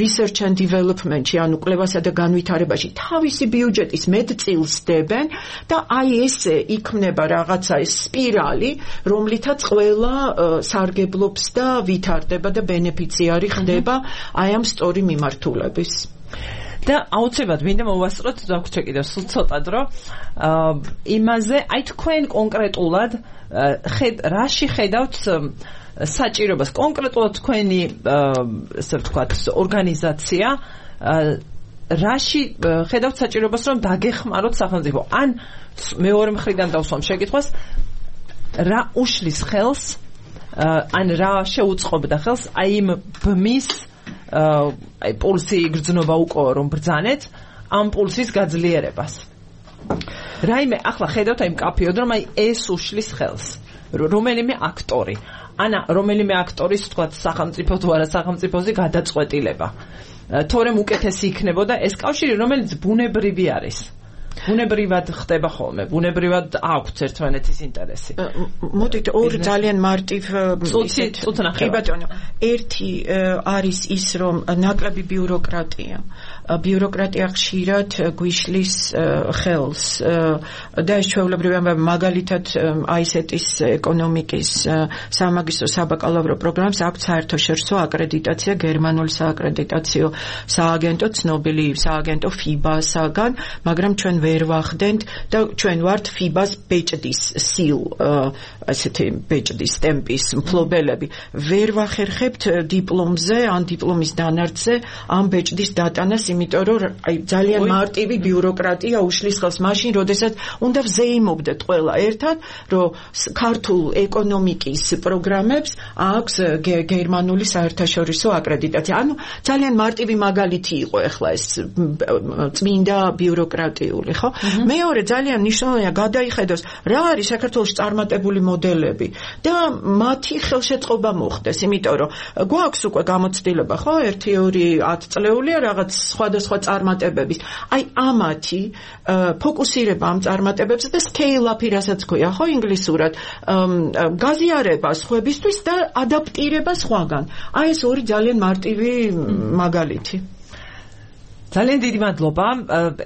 research and development-ში, ანუ კვლევასა და განვითარებაში თავისი ბიუჯეტის მეტწილს დებენ და აი ესე იქმნება რაღაცა ეს სპირალი, რომლითაც ყველა სარგებლობს და ვითარდება და ბენეფიციარი ხდება აი ამ სწორი მიმართულების. და აუცილებლად მინდა მოვასწროთ დაგვჭირდა კიდევ სულ ცოტა დრო იმაზე, აი თქვენ კონკრეტულად რაში ხედავთ საჭიროებას, კონკრეტულად თქვენი ესე ვთქვათ ორგანიზაცია რაში ხედავთ საჭიროებას, რომ დაგეხმაროთ სახელმწიფო, ან მეორე მხრიდან დავსვამ შეკითხვას, რა უშლის ხელს, ან რა შეუწყობდა ხელს აი იმ ბმის აი პულსი იგრძნობა უკვე რომ ბრძანეთ ამ პულსის გაძლიერებას. რაიმე ახლა ხედავთ აი მკაფიოდ რომ აი ეს უშლის ხელს რომელიმე აქტორი ანა რომელიმე აქტორის თქვა სახელმწიფო თუ არა სახელმწიფოზე გადაწყვეტილება თორემ უკეთესი იქნებოდა ეს კავშირი რომელიც ბუნებრივი არის ბუნებრივად ხდება ხოლმე ბუნებრივად აქვს ერთმანეთის ინტერესი მოდით ორ ძალიან მარტივ კი ბატონო ერთი არის ის რომ ნაკლები ბიუროკრატია ხშირად გვიშლის ხელს და ეს ჩვეულებრივია მაგალითად აისეტის ეკონომიკის სამაგისტრო საბაკალავრო პროგრამას აქვს საერთაშორისო აკრედიტაცია გერმანული სააკრედიტაციო სააგენტო ცნობილი სააგენტო FIBA-საგან მაგრამ ჩვენ ვერ ვახდენთ და ჩვენ ვართ FIBA-ს ბეჭდის სილ ასეთი ბეჭდის ტემპის მფლობელები ვერ ვახერხებთ დიპლომზე ან დიპლომის დანარჩზე ამ ბეჭდის დატანას იმიტომ რომ აი ძალიან მარტივი ბიუროკრატია უშლის ხელს მაშინ როდესაც უნდა ვზეიმობდეთ ყველა ერთად რომ ქართულ ეკონომიკის პროგრამებს აქვს გერმანული საერთაშორისო აკრედიტაცია ანუ ძალიან მარტივი მაგალითი იყო ახლა ეს წმინდა ბიუროკრატიული ხო მეორე ძალიან მნიშვნელოვანია გადაიხედოს რა არის საქართველოს წარმატებული მოდელები და მათი ხელშეწყობა მოხდეს იმიტომ რომ გვაქვს უკვე გამოცდილება ხო 1-2-10 წლეულია რაღაც სხვადასხვა წარმატებების აი ამათი ფოკუსირება ამ წარმატებებზე და scale up-ი რასაც ქვია ხო ინგლისურად გაზიარება სხვებისთვის და ადაპტირება სხვაგან აი ეს ორი ძალიან მარტივი მაგალითი ძალიან დიდი მადლობა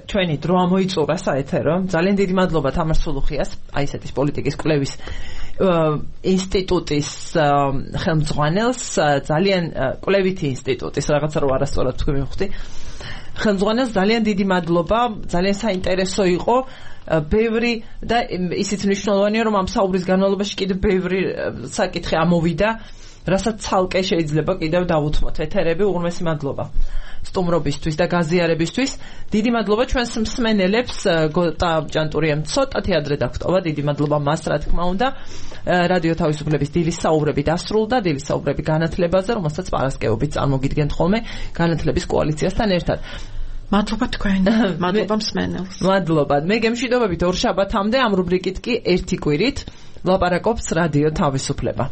ჩვენი დრო ამოიწურა საეთერო ძალიან დიდი მადლობა თამარ სულუხიას აისეტის პოლიტიკის კვლევის ინსტიტუტის ხელმძღვანელს ძალიან კვლევითი ინსტიტუტის რაღაცა რო არასწორად თქვი მივხვდი ხელმძღვანელს ძალიან დიდი მადლობა ძალიან საინტერესო იყო ბევრი და ისიც მნიშვნელოვანია რომ ამ საუბრის განმავლობაში კიდევ ბევრი საკითხი ამოვიდა რასაც ცალკე შეიძლება კიდევ დავუთმოთ ეთერები უღრმესი მადლობა სტუმრობისთვის და გაზიარებისთვის დიდი მადლობა ჩვენს მსმენელებს გოტა ჭანტურიამ ცოტათი ადრე დაგვტოვა დიდი მადლობა მას რა თქმა უნდა რადიო თავისუფლების დილის საუბრები დასრულდა დილის საუბრები განათლებაზე რომელსაც პარასკევობით წარმოგიდგენთ ხოლმე განათლების კოალიციასთან ერთად მადლობა თქვენ მადლობა მსმენელს მადლობა მე გემშვიდობებით ორ შაბათამდე ამ რუბრიკით კი ერთი კვირით ლაპარაკობს რადიო თავისუფლება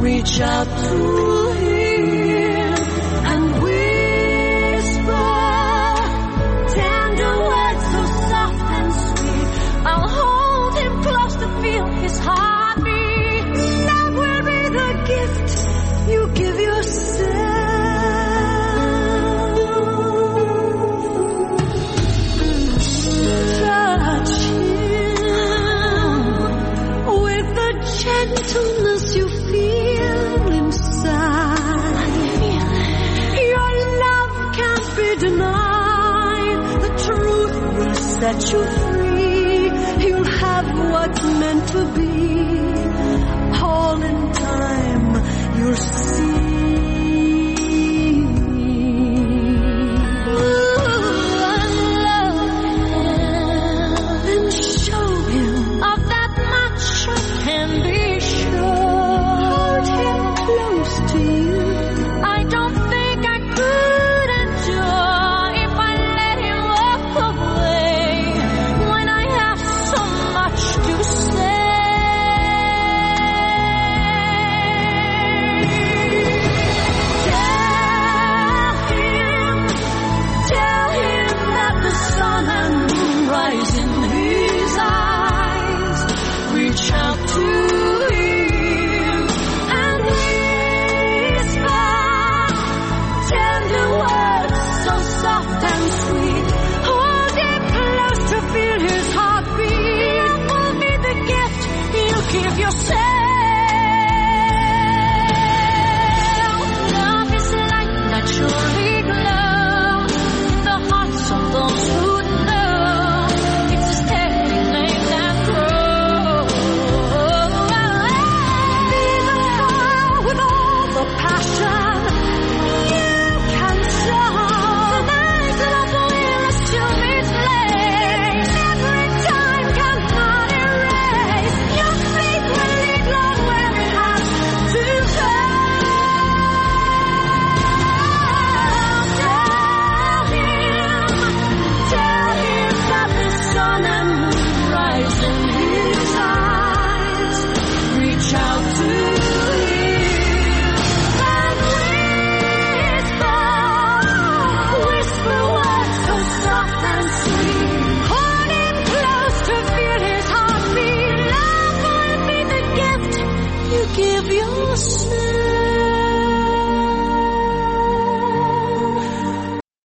Reach out to him and whisper tender words so soft and sweet. I'll hold him close to feel his heartbeat. Love will be the gift you give yourself. Touch him with the gentleness you feel inside. Your love can't be denied. The truth will set you free. You'll have have what's meant to be. All in time, you'll see.